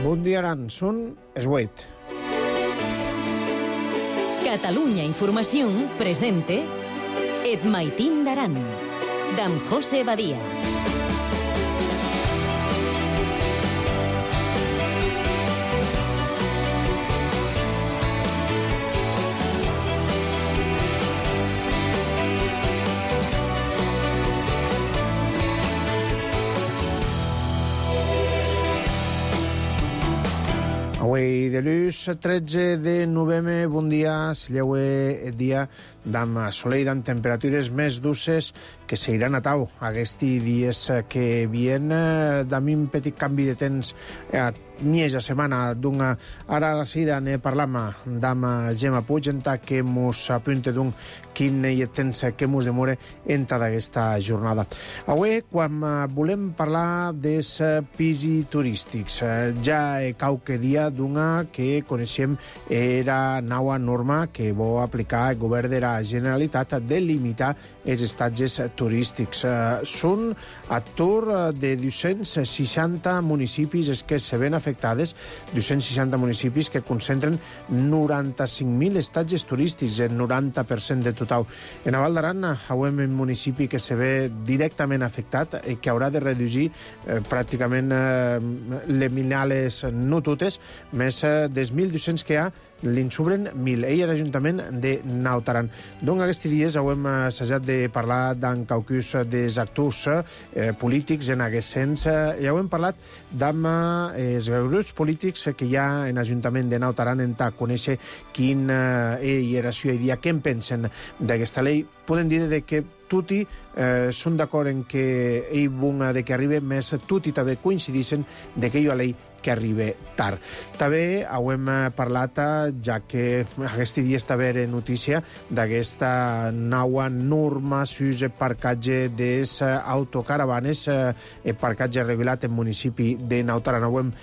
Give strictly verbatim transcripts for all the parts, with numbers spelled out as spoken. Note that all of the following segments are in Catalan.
Bon dia, Aran. Són es vuit. Catalunya Informació presente Et Maitín d'Aran, d'en José Badia. Avui dilluns tretze de novembre, bon dia, sigueu el dia d'am soleil, d'am temperatures més dulces que seguiran a tau aquests dies que vien, d'am un petit canvi de temps a mitja setmana d'una ara a la seguida ne parlam d'am Gemma Puig enta que mos apunte d'un quin hi temps que mos demore enta d'aquesta jornada. Avui, quan volem parlar dels pisos turístics, ja qualque dia d'una que coneixem era nova norma que vol aplicar el govern de la Generalitat de limitar els estatges turístics. Són a tour de dos-cents seixanta municipis els que se ven afectades, dos-cents seixanta municipis que concentren noranta-cinc mil estatges turístics, el noranta per cent de total. En Val d'Aran, avui un municipi que se ve directament afectat i que haurà de reduir eh, pràcticament eh, les minales no totes, més eh, dels mil dos-cents que hi ha, li'n sobren mil. Ell era l'Ajuntament de Naut Aran. Donc, aquests dies hem assajat de parlar d'en caucus dels actors eh, polítics en aquest sens. Ja hem parlat d'amb eh, els grups polítics que hi ha en l'Ajuntament de Naut Aran en ta conèixer quin eh, era la seva idea, què en pensen d'aquesta llei. Podem dir de que tutti eh, són d'acord en que ell bunga de que arribi, més tutti també coincideixen de que hi ha llei que arriba tard. També hem parlat, ja que aquest dia està bé notícia, d'aquesta nova norma sus el parcatge dels autocaravanes, el parcatge regulat en municipi de Naut Aran. Hem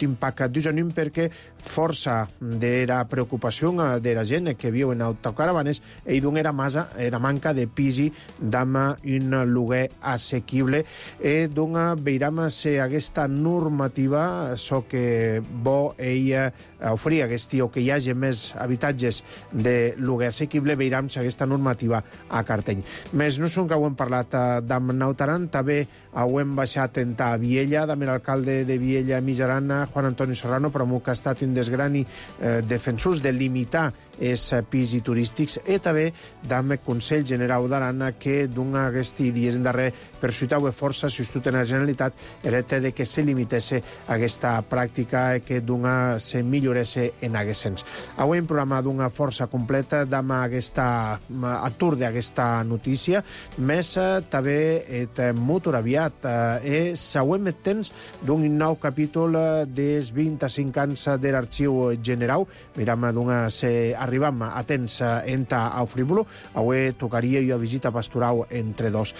impactat d'usanim perquè força de la preocupació de la gent que viu en autocaravanes i d'un era massa, era manca de pisi d'amb un lloguer assequible. I d'un veiram si aquesta normativa so que bo ella oferir aquest o que hi hagi més habitatges de lloguer assequible, veiram si aquesta normativa a cartell. Més no són que ho hem parlat d'amb Naut Aran, també ho hem baixat en ta Viella, d'amb l'alcalde de Viella Mitjaran, Juan Antonio Serrano, però que ha estat un dels grans eh, defensors de limitar els pisos turístics, i també d'amb el Consell General d'Aran, que d'un aquests dies en darrer persuitau força sostut en la Generalitat era de que se limitesse aquesta pràctica que d'una se milloresse en aquest sens. Avui hem programat una força completa d'amb aquesta atur d'aquesta notícia, més també et motor aviat. Eh, següent temps d'un nou capítol dels vint-i-cinc anys de l'Arxiu General. Miram d'una se arribam a temps enta au frívolo. Avui tocaria una visita pastoral entre dos.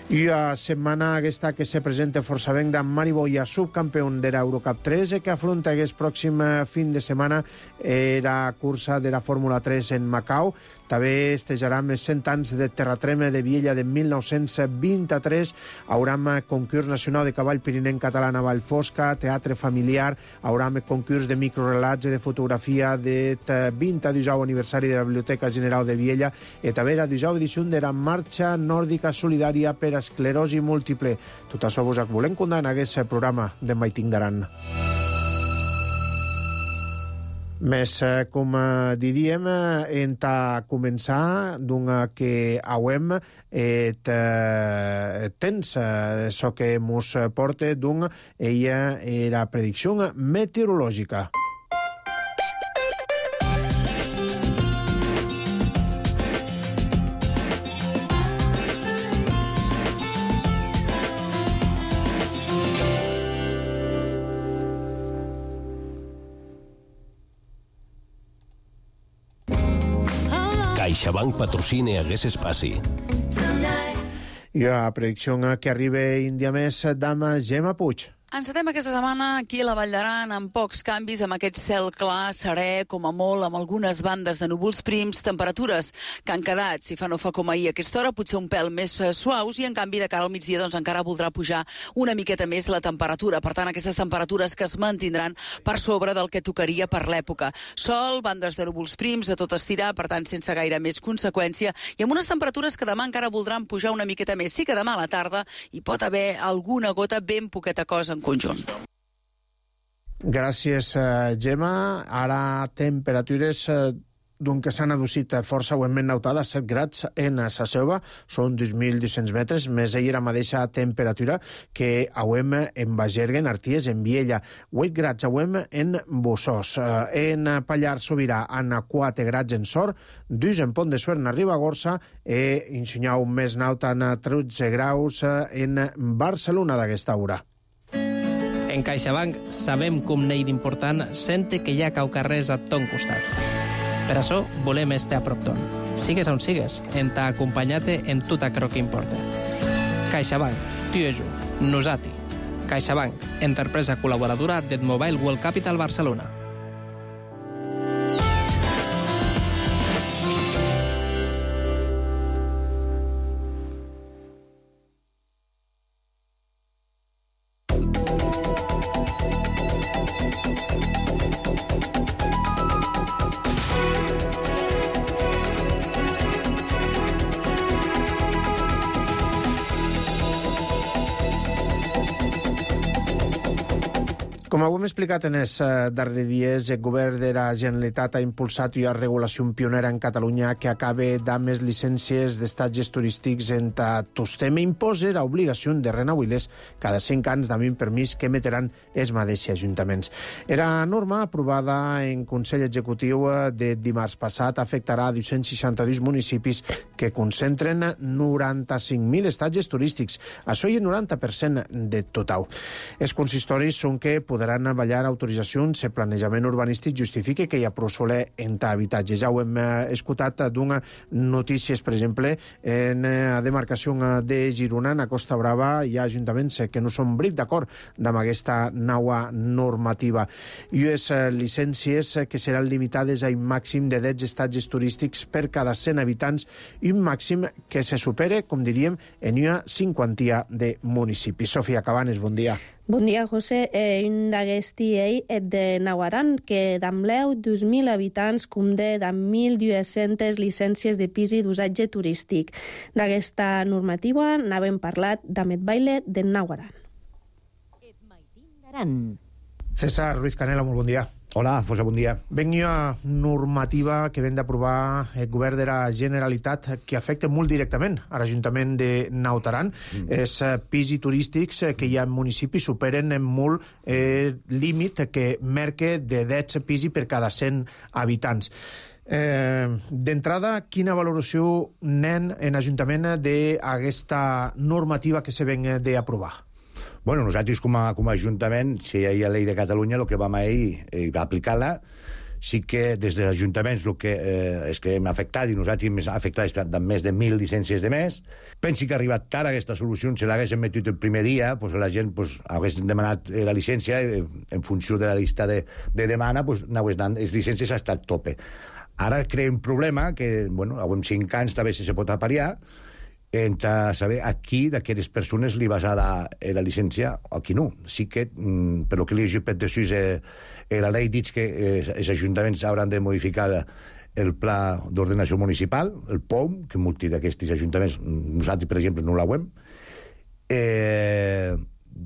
I a setmana aquesta que se presenta força ben d'en Mari Boya, subcampió de l'Eurocup tres, que afronta aquest pròxim fin de setmana la cursa de la Fórmula tres en Macau. També estejarem els cent anys de terratrema de Viella de mil nou-cents vint-i-tres. Hauram concurs nacional de cavall pirinenc català a Vallfosca, teatre familiar, hauram concurs de microrelats i de fotografia de vint-i-dusau aniversari de la Biblioteca General de Viella, i també la dusau edició de la Marxa Nòrdica Solidària per Esclerosi Múltiple. Tot això vos volem contar en aquest programa de Maitín d'Aran. Més, com diríem, hem de començar d'una que hauem et temps, això que mos porta d'un ella era predicció meteorològica. CaixaBank patrocina aquest espai. I la predicció que arriba un dia més d'amb Gemma Puig. Encetem aquesta setmana aquí a la Vall d'Aran amb pocs canvis, amb aquest cel clar, serè, com a molt, amb algunes bandes de núvols prims, temperatures que han quedat, si fa no fa com ahir a aquesta hora, potser un pèl més suaus, i en canvi de cara al migdia doncs encara voldrà pujar una miqueta més la temperatura. Per tant, aquestes temperatures que es mantindran per sobre del que tocaria per l'època. Sol, bandes de núvols prims, a tot estirar, per tant, sense gaire més conseqüència, i amb unes temperatures que demà encara voldran pujar una miqueta més. Sí que demà a la tarda hi pot haver alguna gota, ben poqueta cosa en conjunt. Gràcies, Gemma. Ara temperatures d'un que s'han aducit força aument nautada, set grads en Sa Selva, són dos mil dos-cents metres, més ella la mateixa temperatura que auem en Bagergue, en Arties, en Viella, vuit grads auem en Bossòs, en Pallars Sobirà, en quatre grads en Sort, dos en Pont de Suert, en Ribagorça, i ensenyau més nauta en tretze graus en Barcelona d'aquesta hora. En CaixaBank sabem com n'hi d'important sente que hi ha caucarrers a ton costat. Per això volem estar a prop ton. Sigues on sigues, en t'ha acompanyat en tot aquello que importa. CaixaBank, tu i jo, nosati. CaixaBank, empresa col·laboradora del Mobile World Capital Barcelona. Com ho hem explicat en els darrers dies, el govern de la Generalitat ha impulsat una regulació pionera en Catalunya que acaba amb les llicències d'estatges turístics en Tostem i imposa l'obligació de renovar-les cada cinc anys amb un permís que emetran els mateixos ajuntaments. La norma, aprovada en Consell Executiu de dimarts passat, afectarà dos-cents seixanta-dos municipis que concentren noranta-cinc mil estatges turístics. Això hi ha el noranta per cent de total. Els consistoris són que podran ballar autoritzacions si el planejament urbanístic justifica que hi ha prou soler en habitatges. Ja ho hem escoltat d'una notícies, per exemple, en la demarcació de Girona, a Costa Brava, hi ha ajuntaments que no són bric d'acord amb aquesta nova normativa. I les llicències que seran limitades a un màxim de deu estatges turístics per cada cent habitants i un màxim que se supere, com diríem, en una cinquantia de municipis. Sofia Cabanes, bon dia. Bon dia, José. Eh, un d'aquesti ell és de Nauaran, que d'ambleu dos mil habitants condé de mil dues-centes llicències de pis i d'usatge turístic. D'aquesta normativa n'havem parlat d'Amet Baile de Nauaran. César Ruiz Canela, molt bon dia. Hola, Fosa, bon dia. Venia normativa que ven d'aprovar el govern de la Generalitat que afecta molt directament a l'Ajuntament de Naut Aran. Mm. Els pisos turístics que hi ha en municipis superen molt el eh, límit que marca de deu pisos per cada cent habitants. Eh, D'entrada, quina valoració nen en l'Ajuntament d'aquesta normativa que se ven d'aprovar? Bueno, nosaltres com a, com a Ajuntament, si hi ha la llei de Catalunya, el que vam ahir eh, va aplicar-la. Sí que des dels ajuntaments el que eh, és que hem afectat, i nosaltres hem afectat amb més de mil llicències de més. Pensi que ha arribat tard aquesta solució, si l'haguéssim metut el primer dia, pues, la gent pues, hagués demanat la llicència eh, en funció de la llista de, de demana, pues, n'hagués donat les llicències ha estat tope. Ara crea un problema que, bueno, amb cinc anys també se pot apariar, entre saber a qui d'aquestes persones li vas a dar la llicència o a qui no. Sí que, mm, per el que li he llegit per després, eh, eh, la llei diu que eh, els ajuntaments hauran de modificar el pla d'ordenació municipal, el P O M, que molts d'aquests ajuntaments, nosaltres, per exemple, no l'hauem, eh,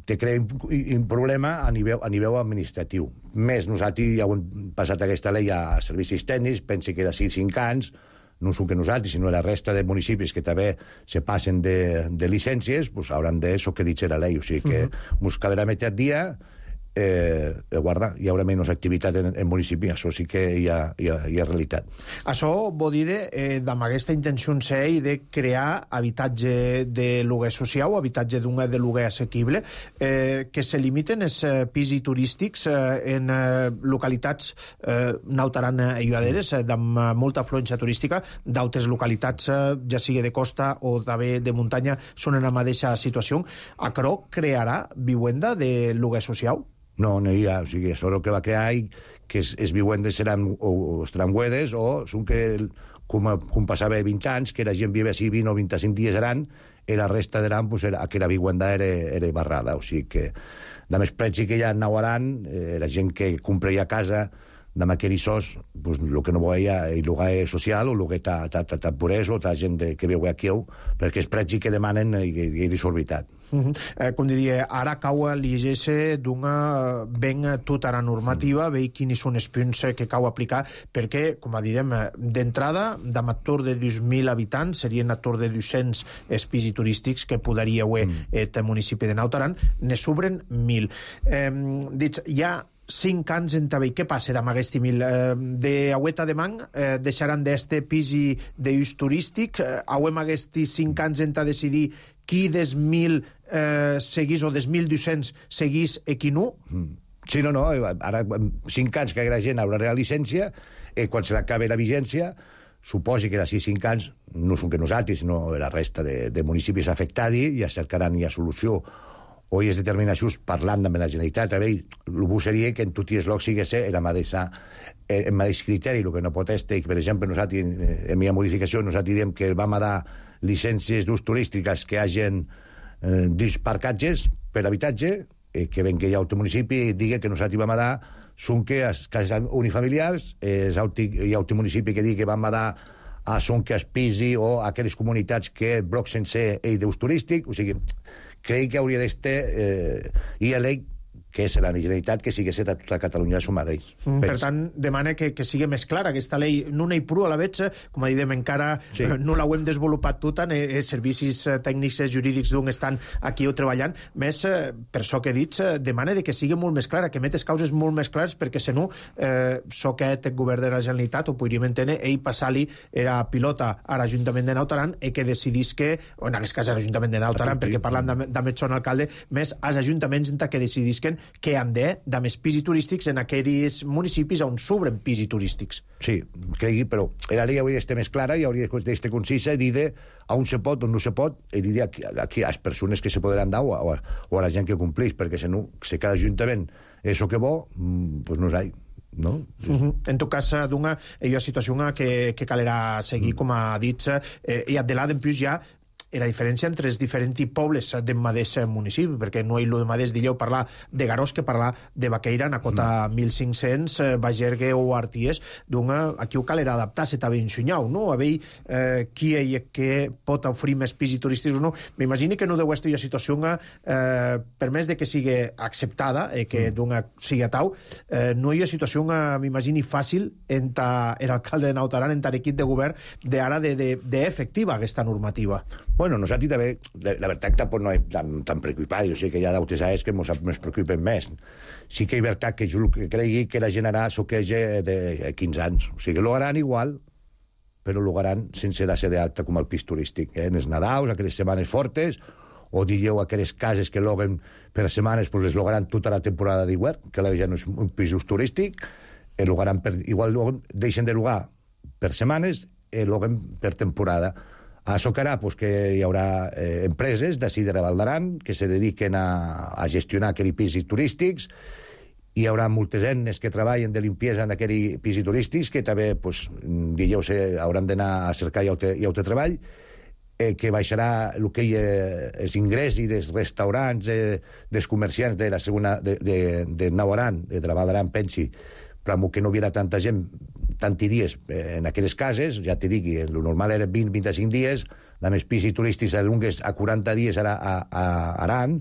te crea un, un problema a nivell, a nivell administratiu. Més, nosaltres ja hem passat aquesta llei a servicis tècnics, pensi que d'ací cinc anys, no són que nosaltres, sinó la resta de municipis que també se passen de, de llicències, pues hauran de, això que dice la llei. O sigui que ens uh -huh. caldrà metre dia eh, guarda, hi haurà menys activitat en el municipi, això sí que hi ha, hi ha, hi ha realitat. Això vol dir eh, amb aquesta intenció en sé de crear habitatge de lloguer social, habitatge d'un de lloguer assequible, eh, que se limiten els eh, pisos turístics eh, en eh, localitats eh, nautaran aïlladeres, eh, amb molta afluència turística, d'altres localitats, eh, ja sigui de costa o també de muntanya, són en la mateixa situació. Això crearà vivenda de lloguer social? No, no hi ha. O sigui, això el que va crear que es, es vivendes seran o, o estaran buedes o són que, com, com passava vint anys, que la gent vive així vint o vint-i-cinc dies aran, i la resta d'aran, pues, era, que la vivenda era, era barrada. O sigui que, de més preci que hi ha en Nawaran, eh, la gent que compra ja casa, amb aquell sos, pues, el que no veia el lloguer social o el lloguer temporès o ta gent de, que veu aquí, perquè és preci que demanen i, i desorbitat. Uh -huh. eh, com diria, ara cau a l'I G S d'una ben tota la normativa, mm. veure quins són els punts que cau aplicar, perquè, com diem, d'entrada, d'am ator de dos mil habitants, serien ator de dos-cents pisos turístics que podria haver mm. el municipi de Naut Aran, ne s'obren mil. Eh, dic, hi ha cinc anys en també. Què passa amb aquest mil? Eh, de Agüeta de Man eh, deixaran d'este pisi d'ús turístic? Eh, hauem aquests cinc anys en decidir qui des mil eh, seguís o des mil dos-cents seguís i qui no? Sí, no, no. Ara, cinc anys que la gent haurà la llicència, i quan se l'acabe la vigència, suposi que d'ací cinc anys, no són que nosaltres, sinó la resta de, de municipis afectats, ja cercaran ja solució o hi és determinacions parlant amb la Generalitat. A veure, el bo seria que en tots els llocs sigués el mateix, el mateix criteri. El que no pot estar, per exemple, nosaltres, en mi modificació, nosaltres diem que vam a dar llicències d'ús turístiques que hagin eh, dos parcatges per habitatge, eh, que ben que hi ha altre municipi i digui que nosaltres vam a dar són que les cases unifamiliars, eh, hi ha altre municipi que digui que vam a dar a són que es pisi o a aquelles comunitats que bloc sencer i d'ús turístic. O sigui, crec que hauria d'estar eh, i a l'E I que és la Generalitat, que sigui a tota Catalunya a suma d'ells. Mm, per tant, demana que, que sigui més clara aquesta llei. No n'hi prou a la veig, com diem, encara sí. eh, no l'hem desenvolupat tota, els servicis tècnics i jurídics d'on estan aquí o treballant, més, eh, per això que he dit, eh, demana de que sigui molt més clara, que metes causes molt més clares, perquè, si no, eh, so que el govern de la Generalitat, ho podríem entendre, ell passar-li era pilota a l'Ajuntament de Naut Aran i que decidís que, o en aquest cas a l'Ajuntament de Naut Aran, perquè parlant de son alcalde, més als ajuntaments que decidisquen que han de, de més pisos turístics en aquells municipis on s'obren pisos turístics. Sí, cregui, però la llei hauria d'estar més clara i hauria d'estar concisa i dir on se pot, on no se pot, i dir aquí, aquí a les persones que se podran dar o a, o a la gent que complís, perquè si no, si cada ajuntament és el que vol, doncs no és ahí. No? Uh -huh. En tot cas, d'una hi ha situació que, que calerà seguir, mm. com ha dit, eh, i de l'A D en plus ja la diferència entre els diferents pobles del mateix municipi, perquè no hi ha el mateix, diríeu, parlar de Garós que parlar de Baqueira, en a cota mm. mil cinc-cents, eh, Bagergue o Arties, doncs aquí ho calerà adaptar-se també ensunyau, no? A veure eh, qui hi que pot oferir més pisos turístics o no. M'imagino que no deu estar una situació eh, per més de que sigui acceptada i eh, que mm. sigui a tau, eh, no hi ha situació, m'imagino, fàcil entre l'alcalde de Naut Aran, entre l'equip de govern, d'ara d'efectiva aquesta normativa. Bueno, nosaltres també, la, la veritat tampoc no és tan, tan preocupada, o sigui que hi ha d'altres anys que ens preocupen més. Sí que és veritat que jo que cregui que la generarà això que és de quinze anys. O sigui, lo haran igual, però lo haran sense la ser d'alta com el pis turístic. Eh? En els Nadals, aquelles setmanes fortes, o diríeu aquelles cases que loguen per setmanes, doncs les logaran tota la temporada d'hivern, que ja no és un pis turístic, i logaran per, igual deixen de logar per setmanes i loguen per temporada. Això que harà, pues, que hi haurà eh, empreses d'ací de la Val d'Aran que se dediquen a, a gestionar aquells pisos turístics. Hi haurà moltes eines que treballen de limpiesa en aquells pisos turístics que també, pues, diríeu, hauran d'anar a cercar i altre treball, eh, que baixarà el que hi ha els ingressos dels restaurants, eh, dels comerciants de la segona de, de, de Naut Aran, de la Val d'Aran, pensi, però que no hi haurà tanta gent tanti dies en aquelles cases, ja t'hi dic, el normal era vint a vint-i-cinc dies, a més pisos turístics a lungues a quaranta dies a, a, a Aran,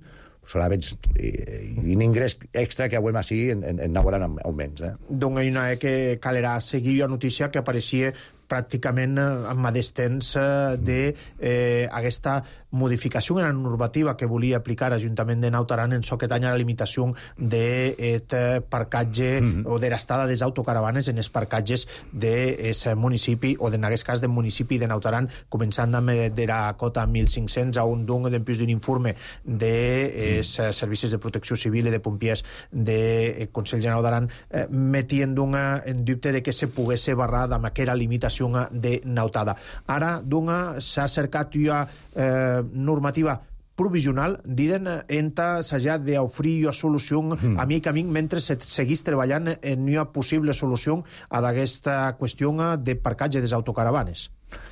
solament un ingrés extra que avui així en, en, en Naut Aran almenys. Eh? Doncs hi ha una que calerà seguir la notícia que apareixia pràcticament amb mateix temps d'aquesta modificació en la normativa que volia aplicar l'Ajuntament de Naut Aran en so que tanya la limitació d'aquest parcatge mm-hmm. o de l'estada des autocaravanes en els parcatges del municipi o en aquest cas del municipi de Naut Aran, començant amb de la cota mil cinc-cents a un d'un d'empús d'un informe dels de servicis de protecció civil i de pompiers del Consell General d'Aran, eh, metient en dubte de que se pogués barrar amb aquella limitació de nautada. Ara, d'una, s'ha cercat ja eh, normativa provisional, diden, enta s'ha d'oferir una solució mm. a mica a mica mentre se seguís treballant en una possible solució a aquesta qüestió de parcatge des autocaravanes.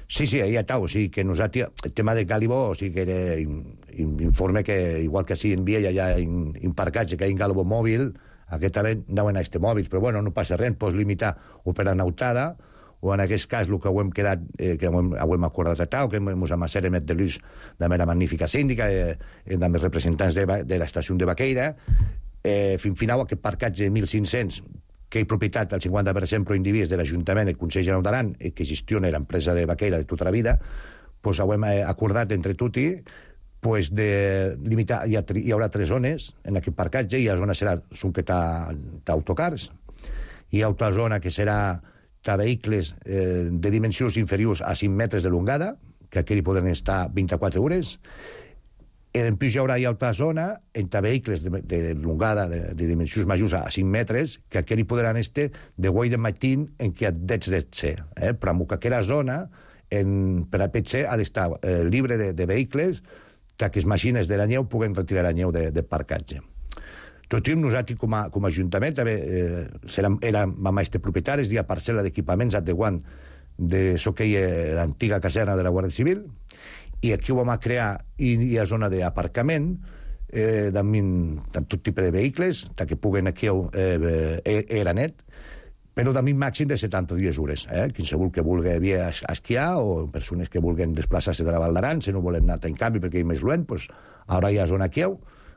Sí, sí, ahí està, o sigui que nosaltres, el tema de Calibó, o sigui que era informe que, igual que sí en Viella hi ha un parcatge que hi ha en Calibó mòbil, aquest també anaven a este mòbils, però bueno, no passa res, pots limitar o per a nautada, o en aquest cas el que ho hem quedat, eh, que ho hem, ho hem acordat a Tau, que hem amassat emet de l'ús de mera magnífica síndica, eh, amb els representants de, de l'estació de Baqueira, eh, fins final aquest parcatge de mil cinc-cents, que hi propietat al cinquanta per cent pro individus de l'Ajuntament, el Consell General d'Aran, eh, que gestiona l'empresa de Baqueira de tota la vida, pues ho hem acordat entre tutti, pues de limitar, hi, ha, hi haurà tres zones en aquest parcatge, i la zona serà són que t'autocars, hi ha altra zona que serà ta vehicles eh, de dimensions inferiors a cinc metres de longada, que aquí hi podran estar vint-i-quatre hores, i en plus hi haurà hi altra zona en ta vehicles de, de longada, de, de dimensions majors a cinc metres, que aquí hi podran estar de guai de matí en què dets de ser, eh? Però que aquella zona en, per a P C ha d'estar eh, libre de, de vehicles que les màquines de la neu puguen retirar la neu de, de parcatge. Tot i nosaltres, com a, com a Ajuntament, també eh, érem, érem aquests propietaris d'una parcel·la d'equipaments adequant de so que hi ha l'antiga caserna de la Guàrdia Civil, i aquí ho vam a crear i hi ha zona d'aparcament eh, amb tot tipus de vehicles, que puguen aquí eh, eh, era net, però també un màxim de setanta-dues hores. Eh? Qualsevol que vulgui via esquiar o persones que vulguin desplaçar-se de la Val d'Aran, si no volen anar en canvi perquè hi és més lluent, doncs ara hi ha zona aquí,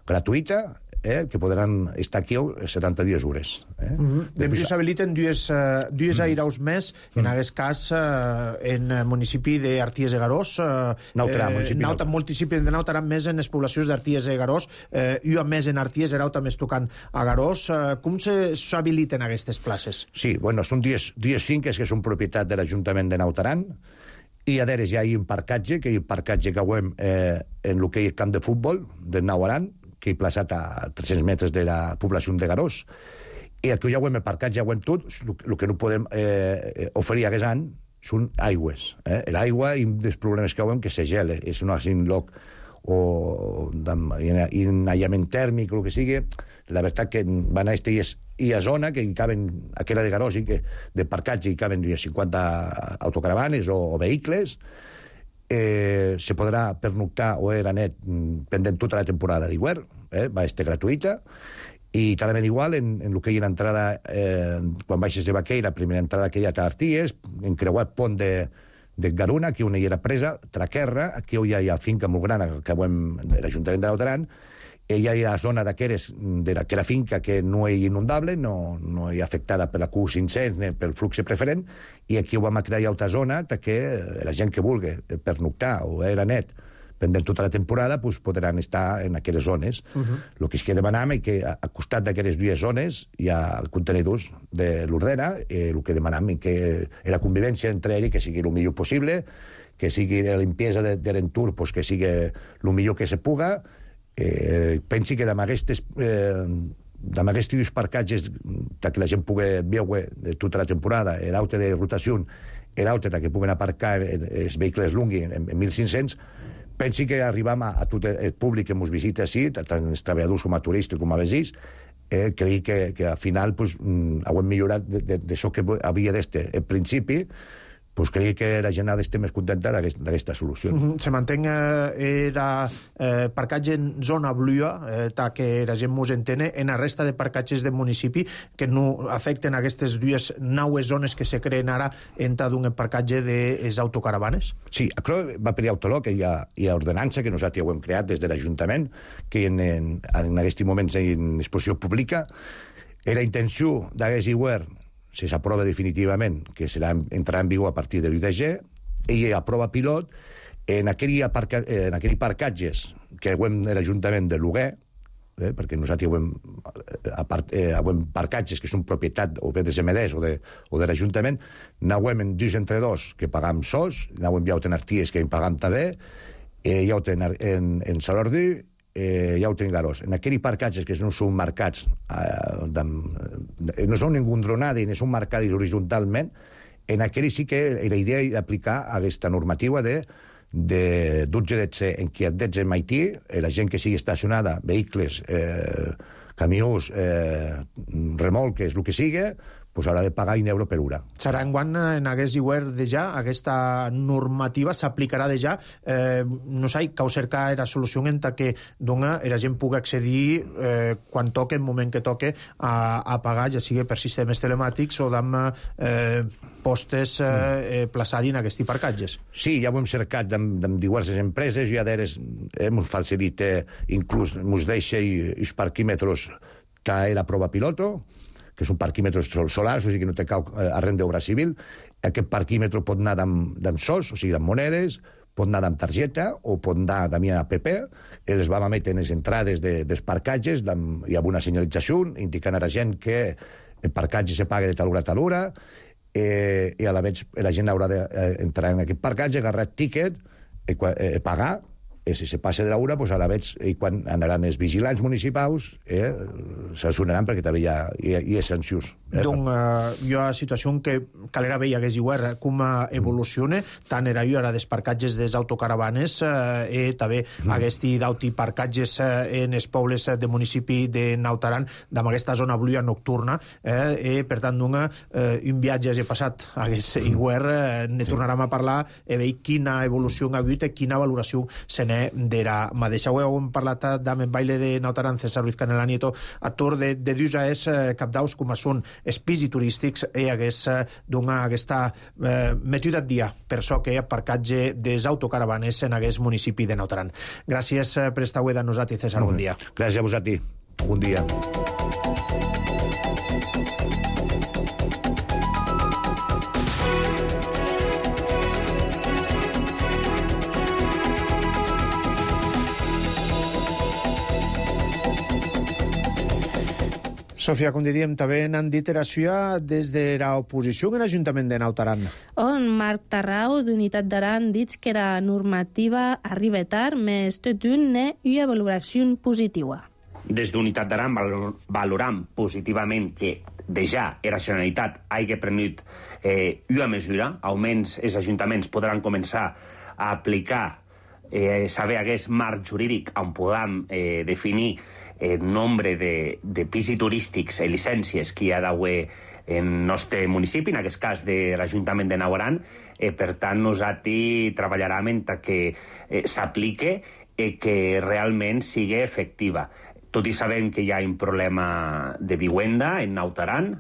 gratuïta, eh, que podran estar aquí setanta-dues hores. Eh? Mm-hmm. Després s'habiliten dues, uh, dues mm. airaus més, en mm. aquest cas uh, en el municipi d'Arties de Garós, uh, Nauta, eh, municipi Nauta, municipi de Nauta, més en les poblacions d'Arties de Garós, uh, i a més en Arties de Nauta més tocant a Garós. Uh, com s'habiliten aquestes places? Sí, bueno, són dues, dues finques que són propietat de l'Ajuntament de Naut Aran, i a deres hi ha un parcatge, que hi ha un parcatge que ho hem eh, en el que hi ha camp de futbol de Naut Aran, que he plaçat a tres-cents metres de la població de Garós, i aquí ja ho hem aparcat, ja ho hem tot, el que no podem eh, oferir aquest any són aigües. Eh? L'aigua i dels problemes que ho hem que se gela, és un altre lloc o en aïllament tèrmic o el que sigui. La veritat que van a este i a zona que hi caben, aquella de Garós i que de parcatge hi caben cinquanta autocaravanes o, o vehicles. Eh, se podrà pernoctar o era net pendent tota la temporada d'hivern, eh, va estar gratuïta, i talment igual en, en el que hi ha entrada eh, quan baixes de Baqueira, primera entrada que hi ha a Arties, en creuat pont de, de Garuna, aquí on hi era presa, Traquerra, aquí on hi ha, hi ha finca molt gran que hem, de l'Ajuntament de Naut Aran, hi ha la zona d'aquelles, de la finca que no és inundable, no, no és afectada per la Q cinc-cents ni pel flux preferent, i aquí ho vam crear altra zona que la gent que vulgui pernoctar o era net pendent tota la temporada pues, podran estar en aquelles zones. El uh-huh. que es que demanem és que al costat d'aquelles dues zones hi ha el contenidors de l'Ordena, eh, el que demanem és que la convivència entre ells que sigui el millor possible, que sigui la limpiesa de, de l'entorn pues, que sigui el millor que se puga. Eh, pensi que amb aquestes eh, amb aquests parcatges que la gent pugui veure de tota la temporada, l'aute de rotació, l'aute que puguen aparcar els vehicles lunghi en, en mil cinc-cents, pensi que arribam a, a tot el públic que ens visita així, tant els treballadors com a turistes com a veïns, eh, crec que, que al final pues, mm, hem millorat d'això que havia d'este. En principi, pues crec que la gent ha d'estar més contenta d'aquesta solució. Uh-huh. Se manté eh, era eh, parcatge en zona blua, eh, ta que la gent mos entene, en la resta de parcatges del municipi que no afecten aquestes dues naues zones que se creen ara en ta d'un parcatge de les autocaravanes? Sí, això va per autolog, que hi ha, hi ha ordenança que nosaltres ho hem creat des de l'Ajuntament, que en, en, en aquests moments en exposició pública, la intenció d'aquest hivern si s'aprova definitivament, que serà, entrarà en vigor a partir del vuit de gener, i a prova pilot, en aquell, aparca, en aquell parcatges que hem de l'Ajuntament de Luguer, eh, perquè nosaltres hem, apart, eh, hem parcatges que són propietat o bé de Semedès o de, o de l'Ajuntament, n'hem en dos entre dos que pagam sols, n'hem ja en Arties que en pagam també, eh, ja ho tenen en, en Salordí, eh, ja ho tenen Garós. En aquells parcatges que no són marcats, eh, de, no són engondronats ni són marcats horitzontalment, en aquell sí que la idea és aplicar aquesta normativa de de dotze en què et en Haití, la gent que sigui estacionada, vehicles, eh, camions, eh, remolques, el que sigui, pues haurà de pagar un euro per hora. Serà enguany en aquest lliuer de ja, aquesta normativa s'aplicarà de ja. Eh, no sé, cau cercar la solució en que dona, la gent pugui accedir eh, quan toque, en moment que toque, a, a pagar, ja sigui per sistemes telemàtics o d'amb eh, postes eh, eh, plaçats en aquests parcatges. Sí, ja ho hem cercat amb, amb diverses empreses, ja d'eres hem facilita, inclús ens deixa els parquímetres que era prova piloto, que són parquímetres solars, o sigui que no té cap arrent d'obra civil. Aquest parquímetre pot anar amb sols, o sigui, amb monedes, pot anar amb targeta o pot anar amb app. Els vam emetre en les entrades de, dels parcatges i amb una senyalització indicant a la gent que el parcatge se paga de tal hora a tal hora, eh, i a la vegada la gent haurà d'entrar en aquest parcatge, agarrar tiquet, eh, eh, pagar, i si se passa de l'hora, pues a la vegada, i quan anaran els vigilants municipals, eh, sancionaran perquè també hi ha, hi ha, hi ha sancions. Eh? Donc, eh, hi ha una situació que calera veia que és igual com evoluciona, tant era jo ara dels parcatges dels autocaravanes, eh, i també mm. aquesti d'auti parcatges eh, en els pobles de municipi de Naut Aran, d'amb aquesta zona bluia nocturna, eh, i per tant, d'un eh, un viatge he passat a aquest igual, eh, ne tornarem a parlar i veure quina evolució ha hagut i quina valoració se n'è d'era mateixa. Ho hem parlat amb el baile de Naut Aran, César Ruiz Canela Nieto, actor de, de dius a és eh, capdaus com són els pisos turístics i hagués eh, donar aquesta eh, metida dia per so que hi ha parcatge des autocaravanes en aquest municipi de Naut Aran. Gràcies eh, per estar avui de nosaltres, César, bon dia. Gràcies a vosaltres. Bon dia. Sofia, com diem, també n'han dit era suya des de l'oposició en l'Ajuntament de Naut Aran. On Marc Tarrau, d'Unitat d'Aran, dit que la normativa arriba tard, més tot un n'hi una valoració positiva. Des d'Unitat d'Aran valoram positivament que de ja la Generalitat hagi prenut eh, una mesura, almenys els ajuntaments podran començar a aplicar, eh, saber aquest marc jurídic on podem eh, definir el nombre de, de pisos turístics i llicències que hi ha d'haver en el nostre municipi, en aquest cas de l'Ajuntament de Naut Aran. Eh, per tant, nosaltres treballarem en que eh, s'aplique i que realment sigui efectiva. Tot i sabem que hi ha un problema de vivenda en Naut Aran,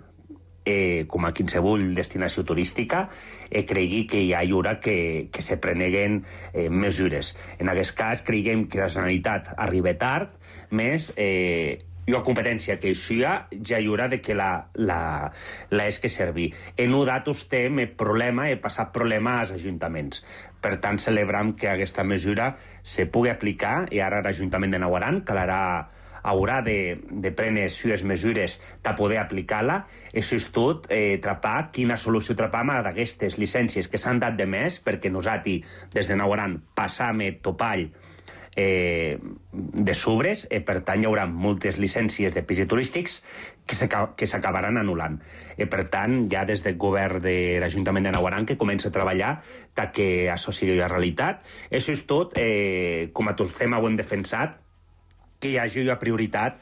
eh, com a qualsevol destinació turística, eh, cregui que hi ha llura que, que se preneguen eh, mesures. En aquest cas, creguem que la Generalitat arriba tard, més eh, una competència que això ja hi haurà de que la, la, la és que servir. En un dat estem el problema, he passat problema als ajuntaments. Per tant, celebrem que aquesta mesura se pugui aplicar i ara l'Ajuntament de Naut Aran calarà haurà de, de prendre les seves mesures de poder aplicar-la. Això és tot, eh, trapar quina solució trapam d'aquestes llicències que s'han dat de més, perquè nosaltres, des de Naut Aran, passam el topall eh, de sobres, i per tant hi haurà moltes llicències de pisos turístics que s'acabaran anul·lant. I per tant, ja des del govern de l'Ajuntament de Naut Aran que comença a treballar que això sigui una realitat. Això és tot, eh, com a tot tema ho hem defensat, que hi hagi una prioritat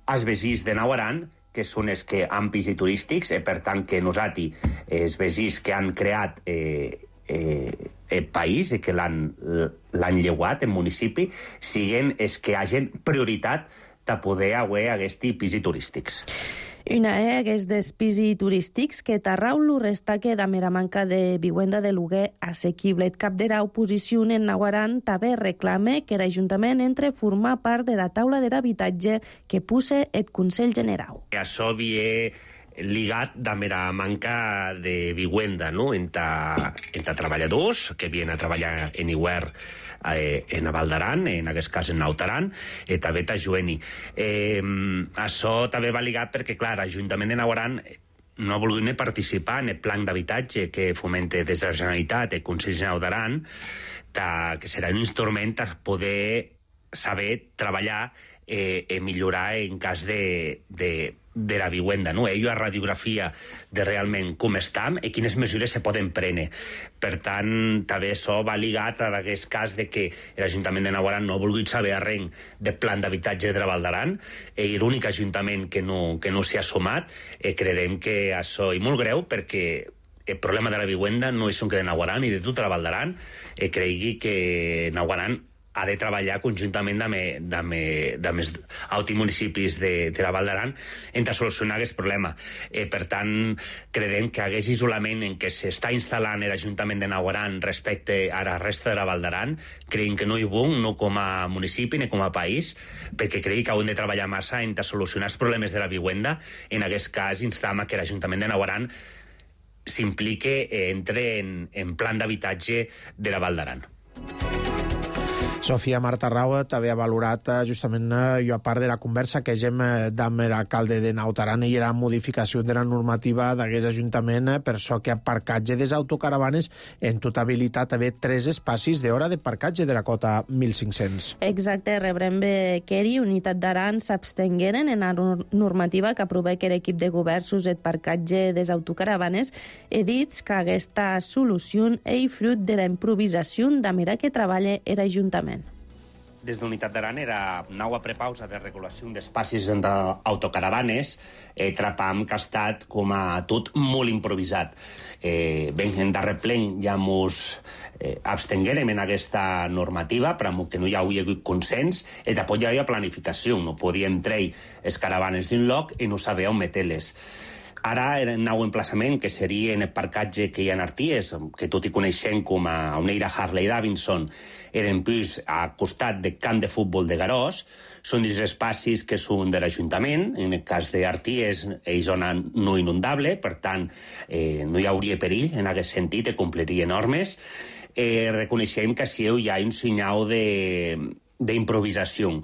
als veïns de Naut Aran, que són els que han pisos turístics, i per tant que nosaltres, els veïns que han creat eh, eh, el país i que l'han lleuat, el municipi, siguin els que hagin prioritat de poder haver aquests pisos turístics. Una és dels pisos turístics que Tarrau lo restaque de mera manca de vivenda de lloguer assequible. El cap de l'oposició en Naut Aran també reclama que l'Ajuntament entre a formar part de la taula de l'habitatge que pusse el Consell General. Això ve ligat amb la manca de vivenda, no? Entre, entre treballadors que vienen a treballar en hivern eh, en a Val d'Aran, en aquest cas en Naut Aran, i també a Jueni. Eh, això també va ligat perquè, clar, l'Ajuntament de Naut Aran no ha volgut ni participar en el plan d'habitatge que fomenta des de la Generalitat el Consell General d'Aran, que serà un instrument per poder saber treballar eh, i millorar en cas de, de, de la vivenda, no? Ell ha radiografia de realment com estem i quines mesures se poden prendre. Per tant, també això va ligat a aquest cas de que l'Ajuntament de Naut Aran no ha volgut saber res de plan d'habitatge de la Val d'Aran, i l'únic ajuntament que no, que no s'hi ha sumat, i creiem que això és molt greu perquè el problema de la vivenda no és un que de Naut Aran i de tota la Val d'Aran, i cregui que Naut Aran ha de treballar conjuntament amb els altres municipis de, de la Val d'Aran per solucionar aquest problema. Eh, per tant, creiem que aquest isolament en què s'està instal·lant l'Ajuntament de Naut Aran respecte a la resta de la Val d'Aran, creiem que no hi bon, no com a municipi ni com a país, perquè creiem que haurem de treballar massa en solucionar els problemes de la vivenda. En aquest cas, instam a que l'Ajuntament de Naut Aran s'implique, eh, entre en, en plan d'habitatge de la Val d'Aran. Sofia Marta Raua també ha valorat justament jo a part de la conversa que hem amb l'alcalde de Naut Aran i la modificació de la normativa d'aquest ajuntament per això que aparcatge des autocaravanes en tota habilitat haver tres espacis d'hora de parcatge de la cota mil cinc-cents. Exacte, rebrem Queri, Unitat d'Aran s'abstengueren en la normativa que aprova que l'equip de govern suset parcatge des autocaravanes he dit que aquesta solució és fruit de la improvisació de mirar que treballa l'Ajuntament. Des d'Unitat d'Aran era nova prepausa de regulació d'espacis d'autocaravanes, eh, trapam que ha estat com a tot molt improvisat. Eh, ben en darrer plen ja mos eh, abstenguérem en aquesta normativa, però que no hi havia hagut consens, i tampoc hi havia planificació, no podíem treure les caravanes d'un lloc i no saber on meter-les. Ara, el nou emplaçament, que seria en el parcatge que hi ha en Arties, que tot i coneixem com a Oneira Harley Davidson, eren pues a costat del camp de futbol de Garós, són dos espacis que són de l'Ajuntament. En el cas d'Arties és zona no inundable, per tant, eh, no hi hauria perill en aquest sentit, i compliria normes. Eh, reconeixem que si hi ha un senyal d'improvisació,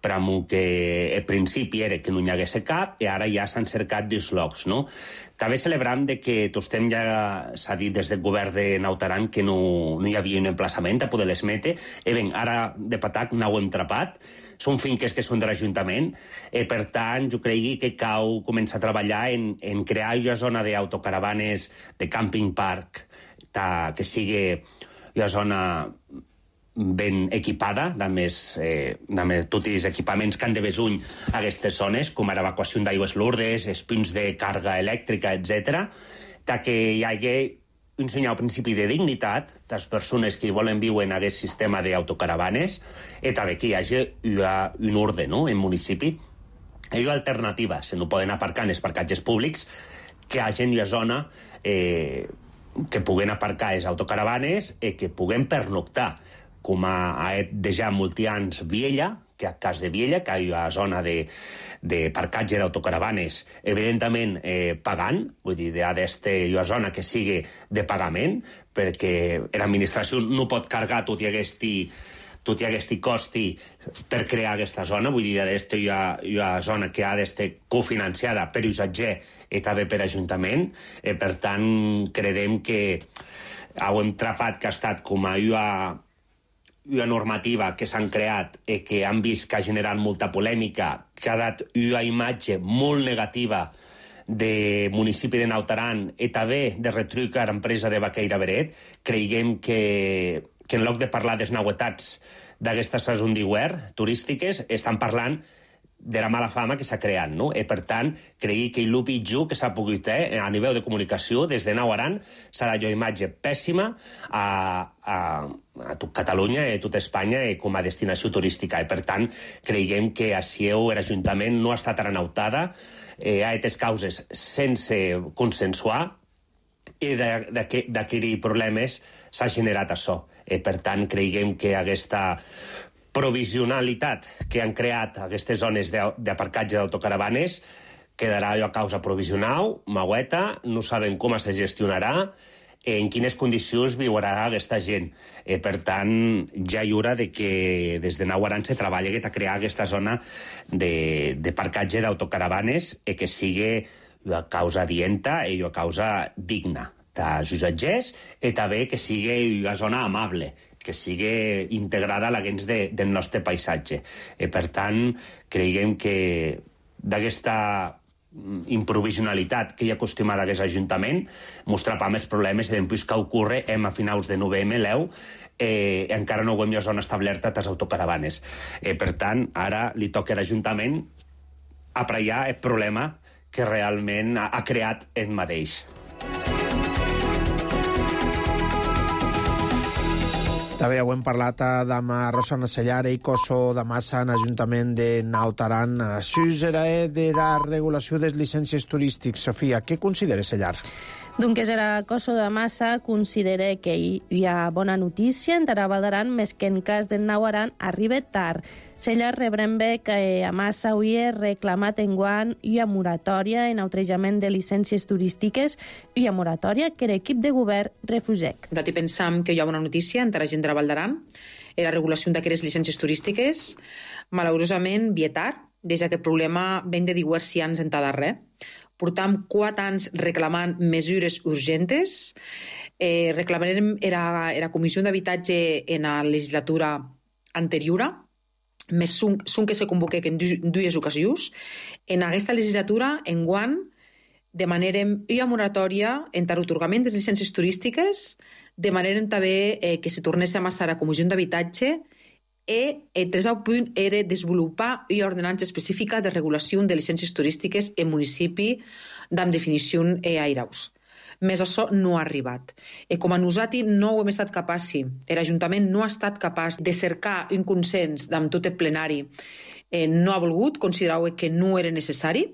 però que al principi era que no hi hagués cap i ara ja s'han cercat dos llocs, no? També celebrem de que tostem ja s'ha dit des del govern de Naut Aran que no, no hi havia un emplaçament a poder les metre, i ben, ara de patac no ho hem trapat, són finques que són de l'Ajuntament, i per tant jo cregui que cal començar a treballar en, en crear una zona d'autocaravanes de camping park ta, que sigui una zona ben equipada, amb, més, eh, amb tots els equipaments que han de besuny a aquestes zones, com l'evacuació d'aigües Lourdes, els punts de càrrega elèctrica, etcètera, que hi hagi un senyal principi de dignitat de les persones que volen viure en aquest sistema d'autocaravanes, i també que hi hagi una, un ordre, no?, en municipi. Hi ha alternatives, no poden aparcar en els parcatges públics, que hi hagi una zona eh, que puguen aparcar les autocaravanes i que puguen pernoctar, com ha deixat molts anys Viella, que a cas de Viella, que hi ha zona de, de parcatge d'autocaravanes, evidentment eh, pagant, vull dir, ha d'estar una zona que sigui de pagament, perquè l'administració no pot carregar tot i aquest tot i aquest costi per crear aquesta zona, vull dir, ha d'estar una zona que ha d'estar cofinanciada per U S A G i també per Ajuntament, i per tant creiem que hem trapat que ha estat com a una una normativa que s'han creat i que han vist que ha generat molta polèmica, que ha dat una imatge molt negativa de municipi de Naut Aran i també de retruc a l'empresa de Baqueira Beret. Creiem que, que en lloc de parlar de les novetats d'aquestes saison d'hivern turístiques, estan parlant de la mala fama que s'ha creat, no? I per tant, cregui que el pitjor que s'ha pogut fer a nivell de comunicació des de Naut Aran s'ha de una imatge pèssima a, a, a tot Catalunya i a tota Espanya com a destinació turística. I per tant, creiem que a Sieu l'Ajuntament no ha estat aranautada, eh, ha aquestes causes sense consensuar, i d'aquells problemes s'ha generat això. I per tant, creiem que aquesta provisionalitat que han creat aquestes zones d'aparcatge d'autocaravanes quedarà a causa provisional, maueta, no sabem com se gestionarà, en quines condicions viurà aquesta gent. Eh, per tant, ja hi haurà de que des de Nawaran se treballi a crear aquesta zona de, de parcatge d'autocaravanes eh, que sigui a causa dienta i a causa digna dels usatgers i també que sigui una zona amable, que sigui integrada a la gens de, del nostre paisatge. Eh, per tant, creiem que d'aquesta improvisionalitat que hi ha acostumada a aquest Ajuntament mostrarà més problemes i després que ocorre hem a finals de novembre, l'Eu, eh, encara no ho hem ja zona establerta a les autocaravanes. Eh, per tant, ara li toca a l'Ajuntament apraiar el problema que realment ha, ha creat ell mateix. També ho hem parlat amb Rosana Sellar i Coso de Massa en l'Ajuntament de Naut Aran. Això era de la regulació de les llicències turístiques. Sofia, què considera Sellar? Doncs era Coso de Massa considera que hi ha bona notícia en Val d'Aran, més que en cas del Nau Aran arriba tard. Sellar rebrem bé que a Massa havia reclamat enguany una moratòria en autrejament de llicències turístiques i una moratòria que l'equip de govern refusec. Nosaltres pensam que hi ha bona notícia entre la gent de Val d'Aran. La regulació d'aquestes llicències turístiques, malaurosament, vietar, des que el problema ven de diversos anys en darrer. Portam quatre anys reclamant mesures urgentes. Eh, reclamarem la, la Comissió d'Habitatge en la legislatura anterior, més són que se convoqué en dues ocasions. En aquesta legislatura, enguany, demanarem una moratòria entre l'atorgament de les llicències turístiques, demanarem també eh, que se tornés a amassar a la Comissió d'Habitatge i el tercer punt era desenvolupar una ordenança específica de regulació de llicències turístiques en municipi amb definició airaus. Més això no ha arribat. I com a nosaltres no ho hem estat capaços, l'Ajuntament no ha estat capaç de cercar un consens amb tot el plenari, eh, no ha volgut, considerau que no era necessari.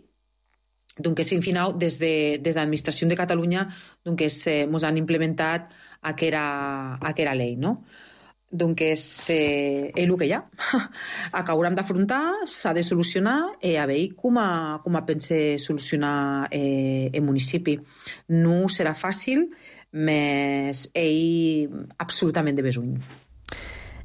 Doncs, en final, des de, des de l'administració de Catalunya, doncs, eh, ens han implementat aquella, aquella llei, no? Donc és eh, el que hi ha. Que haurem d'afrontar, s'ha de solucionar i a veure com a, com a pense solucionar eh, el municipi. No serà fàcil, més ell absolutament de besuny.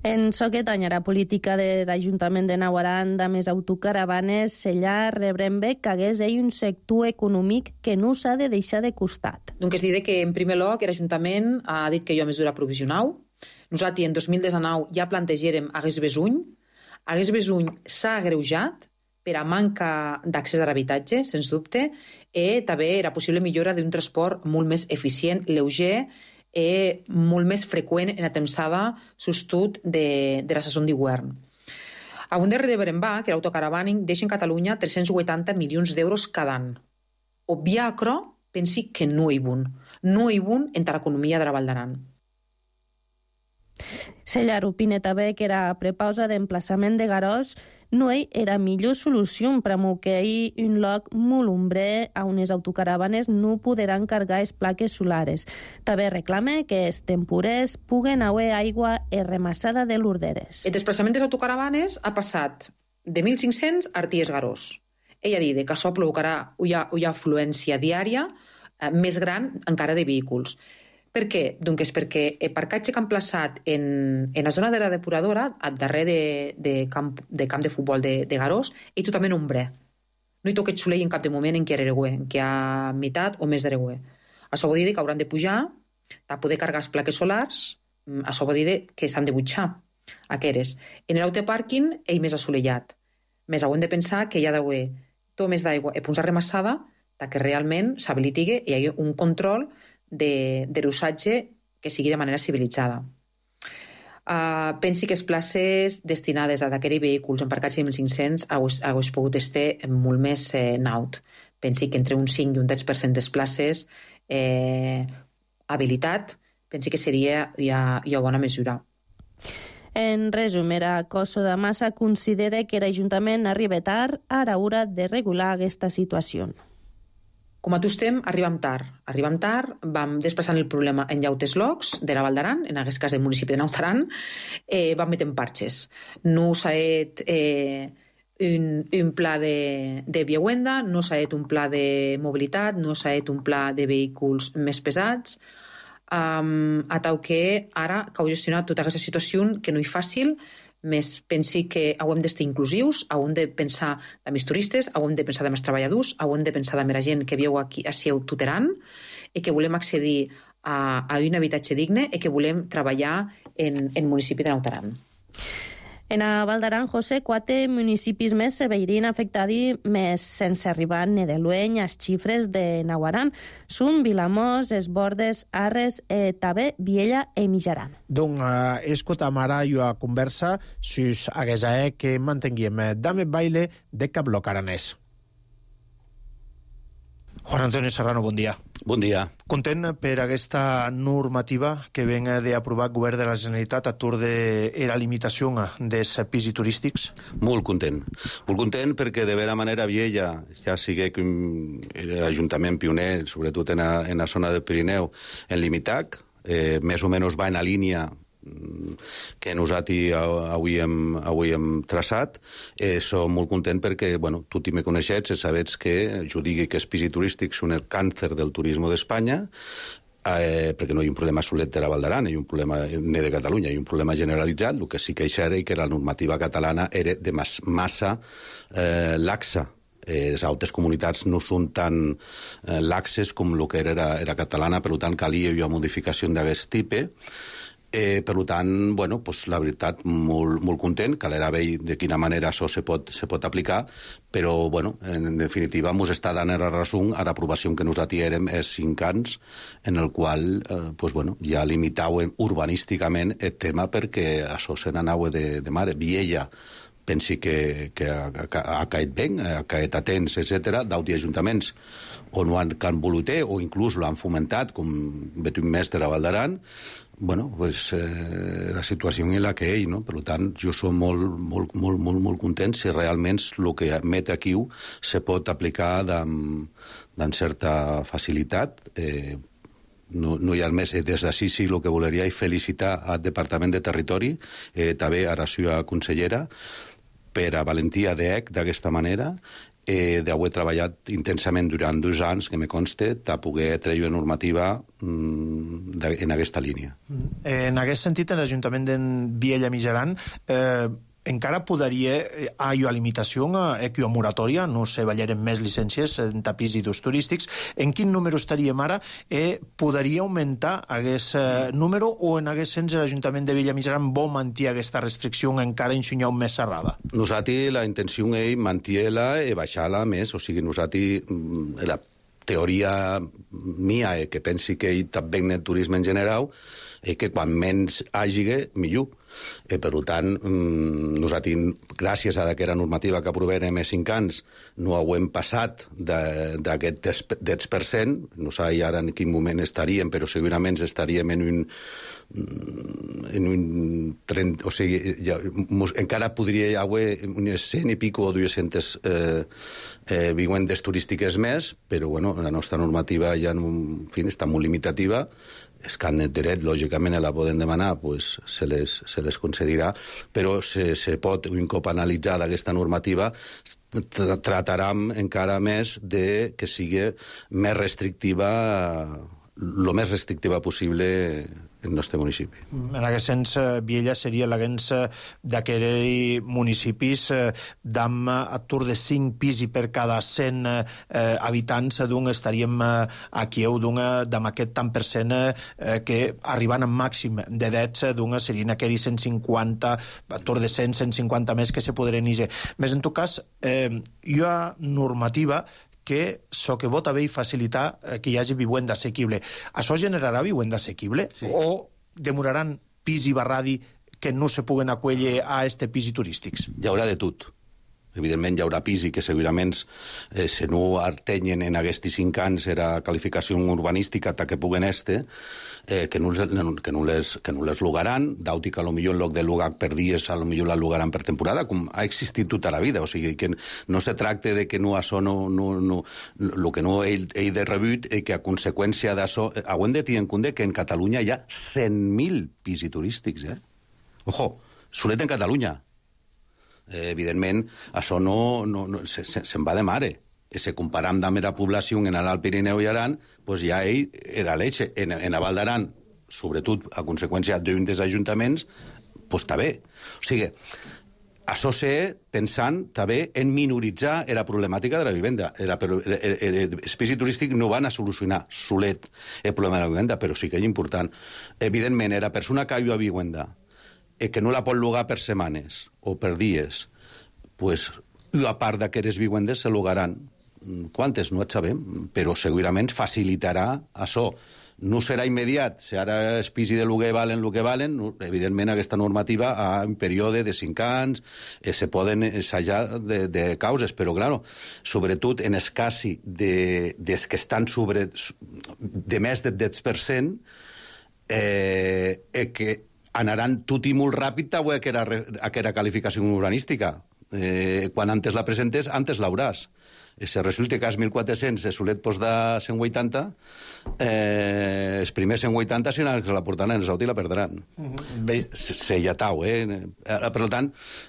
En so que tanya la política de l'Ajuntament de Nau Aran de més autocaravanes, Sellar rebrem bé que hagués ell un sector econòmic que no s'ha de deixar de costat. Donc es diré que en primer lloc l'Ajuntament ha dit que hi ha mesura provisional. Nosaltres en dos mil dinou ja plantegérem hagués besuny. Hagués besuny s'ha agreujat per a manca d'accés a l'habitatge, sens dubte, i també la possible millora d'un transport molt més eficient, lleuger i molt més freqüent en la tempsada sostut de, de la saison d'hivern. A un darrere de Berembà, que l'autocaravaning deixa en Catalunya tres-cents vuitanta milions d'euros cada any. Obviar això, pensi que no hi bon. No hi bon entre l'economia de la Val d'Aran. Sellar opina també que la prepausa d'emplaçament de Garòs no era millor solució per a que hi un lloc molt ombrer on les autocaravanes no podran cargar les plaques solares. També reclama que els temporers puguen haver aigua i remassada de l'Urderes. El desplaçament de les autocaravanes ha passat de mil cinc-cents a Arties Garòs. Ella ha dit que això provocarà una, una afluència diària eh, més gran encara de vehicles. Per què? Doncs és perquè el parcatge que han plaçat en, en la zona de la depuradora, al darrer de, de, camp, de camp de futbol de, de Garòs, és totalment ombrer. No hi toca soleil en cap de moment en què hi en què hi ha meitat o més d'Aregüe. Això vol dir que hauran de pujar, de poder cargar les plaques solars, això vol dir que s'han de butxar aquestes. En l'autopàrquing, ell més assolellat. Més haurem de pensar que hi ha d'haver tot més d'aigua i punts arremassada que realment s'habiliti i hi hagi un control de, de l'usatge que sigui de manera civilitzada. Uh, pensi que les places destinades a d'aquests vehicles embarcats de mil cinc-cents hagués pogut estar molt més eh, naut. Pensi que entre un cinc i un deu per cent de les places eh, habilitat, pensi que seria ja, ja bona mesura. En resum, era Coso de Massa considera que l'Ajuntament arriba tard a l'hora de regular aquesta situació. Com a tu estem, arribem tard. Arribem tard, vam desplaçant el problema en llautes locs de la Val d'Aran, en aquest cas del municipi de Naut Aran, eh, vam metent parxes. No s'ha fet eh, un, un pla de, de viuenda, no s'ha fet un pla de mobilitat, no s'ha fet un pla de vehicles més pesats, um, a tal que ara cau gestionar tota aquesta situació que no és fàcil, més pensi que hem d'estar inclusius, hem de pensar de més turistes, hem de pensar de més treballadors, hem de pensar de més gent que viu aquí a Sieu tuteran i que volem accedir a, a un habitatge digne i que volem treballar en el municipi de Nautaran. En a Val d'Aran, José, quatre municipis més se veurien afectats més sense arribar ni de lueny als xifres de Naguaran. Són Vilamós, Es Bordes, Arres, eh, també Viella i Mijaran. Donc, uh, escoltam ara jo a conversa sus aguesa que mantenguiem Dame Baile de Cabloc Aranès. Juan Antonio Serrano, bon dia. Bon dia. Content per aquesta normativa que ven d'aprovar el govern de la Generalitat a tour de la limitació dels pisos turístics? Molt content. Molt content perquè de vera manera Viella ja sigui que l'Ajuntament pioner, sobretot en la, en la zona del Pirineu, en limitat, eh, més o menys va en la línia que nosaltres avui hem, avui hem traçat. Eh, som molt content perquè, bueno, tutti me coneixets i sabets que jo digui que els pisos turístics són el càncer del turisme d'Espanya, eh, perquè no hi ha un problema solet de la Val d'Aran, hi ha un problema ni de Catalunya, hi ha un problema generalitzat. El que sí que era i que la normativa catalana era de mas, massa eh, laxa. Eh, les altres comunitats no són tan eh, laxes com el que era, era catalana, per tant calia una modificació d'aquest tipus. Eh, per tant, bueno, pues, la veritat, molt, molt content, calerà veure de quina manera això se pot, se pot aplicar, però, bueno, en definitiva, ens està dant la raó a l'aprovació que nosaltres érem és cinc anys, en el qual, eh, pues, bueno, ja limitàvem urbanísticament el tema perquè això se n'anava de, de mare. Viella, pensi que, que ha, ha caet bé, ha caet a temps, etcètera, d'altres ajuntaments on ho han, han volut o inclús l'han fomentat, com Betum Més de la Val d'Aran. Bueno, pues, eh, la situació en la que ell, no? Per tant, jo som molt, molt, molt, molt, molt content si realment el que emet aquí se pot aplicar amb certa facilitat. Eh, no, no hi ha més. Des d'ací sí el que voleria és felicitar al Departament de Territori, eh, també a la seva consellera, per a valentia d'E C d'aquesta manera, eh, d'haver treballat intensament durant dos anys, que me conste, de poder treure una normativa mm, en aquesta línia. En aquest sentit, en l'Ajuntament de Viella Mijaran, eh, encara podria haver una limitació, una moratòria, no se ballaren més llicències en tapís i dos turístics. En quin número estaríem ara? Eh, podria augmentar aquest eh, número o en aquest sens l'Ajuntament de Viella Mijaran vol mantenir aquesta restricció encara ensenyar més serrada? Nosaltres la intenció és mantenir-la i baixar-la més, o sigui, nosaltres la teoria mia és que pensi que hi també en el turisme en general és que quan menys hagi, millor. Eh, per tant, mm, nosaltres, gràcies a aquesta normativa que aprovem a cinc anys, no ho hem passat d'aquest deu per cent, no sé ara en quin moment estaríem, però segurament estaríem en un en un trenta, o sigui, ja, encara podria haver unes cent i pico o dues-centes eh, eh, vivendes turístiques més, però bueno, la nostra normativa ja en fi, està molt limitativa. És que en el dret, lògicament, la poden demanar, pues, se, les, se les concedirà, però se, se pot, un cop analitzada aquesta normativa, tra tratarem encara més de que sigui més restrictiva, el més restrictiva possible en el nostre municipi. En aquest sens, Viella seria l'agents d'aquells municipis d'am atur de cinc pisos per cada cent eh, habitants, d'un estaríem aquí, d'un d'am aquest tant per cent eh, que arribant al màxim de dets, d'un serien aquells cent cinquanta, atur de cent, cent cinquanta més que se podrien iniciar. Més en tot cas, eh, hi ha normativa que so que vota bé i facilitar que hi hagi vivenda assequible. Això generarà vivenda assequible? Sí. O demoraran pis i barradi que no se puguen acollir a este pis turístics? Hi haurà de tot. Evidentment hi haurà pis i que segurament eh, si no artenyen en aquests cinc anys era qualificació urbanística ta que puguen este, eh, que, no les, que, no les, que no les lugaran, d'auti que potser en lloc de lugar per dies a lo millor la lugaran per temporada, com ha existit tota la vida. O sigui, que no se tracta de que no això no... no, no el que no he, he de rebut és que a conseqüència d'això... Haurem de tenir en compte que en Catalunya hi ha cent mil pisos turístics, eh? Ojo, solet en Catalunya. Eh, evidentment, això no, no, no se, se, se'n va de mare. I si comparam amb la població en l'Alt Pirineu i Aran, pues ja ell era l'eixe. En, en la Val d'Aran, sobretot a conseqüència d'un dels ajuntaments, pues està bé. O sigui, això sé pensant també en minoritzar la problemàtica de la vivenda. Els pisos turístics no van a solucionar solet el problema de la vivenda, però sí que és important. Evidentment, la persona que viu a vivenda i que no la pot llogar per setmanes o per dies, pues, a part d'aquestes vivendes se llogaran. Quantes? No et sabem, però segurament facilitarà això. No serà immediat. Si ara els pisos de lloguer valen el que valen, evidentment aquesta normativa a un període de cinc anys eh, se poden assajar de, de causes, però, clar, sobretot en el cas de, des que estan sobre, de més del deu per cent, eh, eh, que anaran tot i molt ràpid a aquella, aquella qualificació urbanística. Eh, quan antes la presentes, antes l'hauràs. Si resulta que als mil quatre-cents se solet posar cent vuitanta, eh, els primers cent vuitanta, si no se la portaran en el Saudi, la perdran. Uh-huh. Se llatau, eh? Per tant,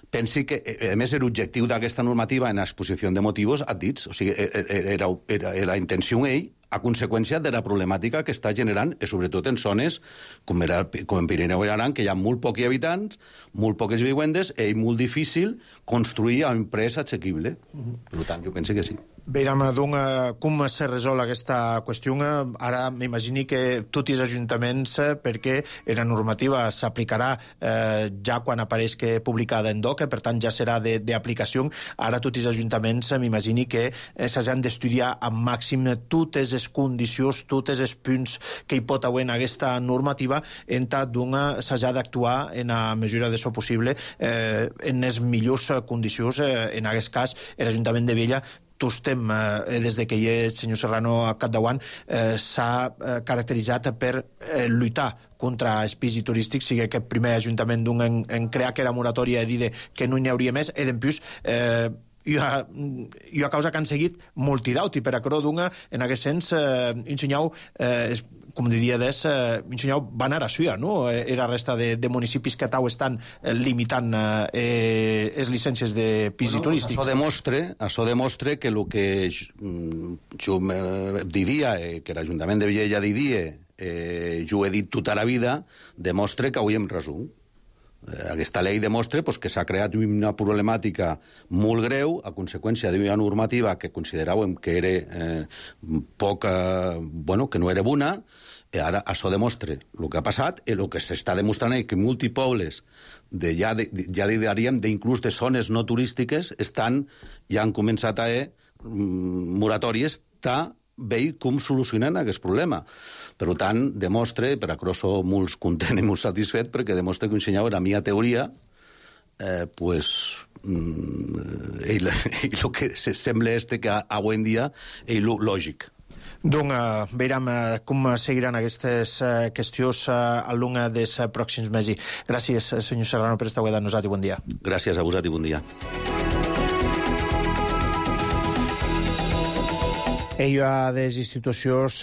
pensi que, a més, l'objectiu d'aquesta normativa en l'exposició de motius ha dit, o sigui, era, era, era la intenció ell, a conseqüència de la problemàtica que està generant, i sobretot en zones com, era, com en Pirineu i Aran, que hi ha molt pocs habitants, molt poques vivendes, i és molt difícil construir a un preu assequible. Uh-huh. Per tant, jo penso que sí. Veiem, doncs, com se resol aquesta qüestió. Ara m'imagini que tots els ajuntaments, perquè la normativa s'aplicarà eh, ja quan apareix que publicada en D O C, per tant ja serà d'aplicació. Ara tots els ajuntaments m'imagini que eh, s'han d'estudiar al màxim totes les condicions, tots els punts que hi pot haver en aquesta normativa, en tant doncs s'ha d'actuar en la mesura de so possible eh, en les millors condicions. Eh, en aquest cas, l'Ajuntament de Viella estem, eh, des de que hi és el senyor Serrano a capdavant, eh, s'ha eh, caracteritzat per eh, lluitar contra els pisos turístics, sigui que el primer ajuntament d'un en, en crear que era moratòria i dir que no n'hi hauria més, i d'en plus eh, i a, i a causa que han seguit multidauti, per a crò d'una, en aquest sens, eh, ensenyau, eh, com diria des, eh, ensenyau van ara a Suïa, no? Era resta de, de municipis que tau estan eh, limitant eh, les llicències de pisos bueno, turístics. Això demostra, això demostra que el que jo diria, eh, que l'Ajuntament de Viella diria, eh, jo he dit tota la vida, demostra que avui hem resum. Aquesta llei demostra pues, que s'ha creat una problemàtica molt greu a conseqüència d'una normativa que consideràvem que era eh, poca, bueno, que no era bona, i ara això demostra el que ha passat i el que s'està demostrant és que multipobles de, ja, de, ja diríem d'inclús de zones no turístiques estan, ja han començat a haver moratòries ta veig com solucionen aquest problema. Per tant, demostra, per a crosso molt content i molt satisfet, perquè demostra que ensenyava la meva teoria, eh, pues, mm, i el que sembla este que avui en dia és lògic. Doncs uh, veurem uh, com seguiran aquestes uh, qüestions uh, al llarg dels uh, pròxims mesos. Gràcies, senyor Serrano, per estar avui amb nosaltres i bon dia. Gràcies a vosaltres i bon dia. Ella des institucions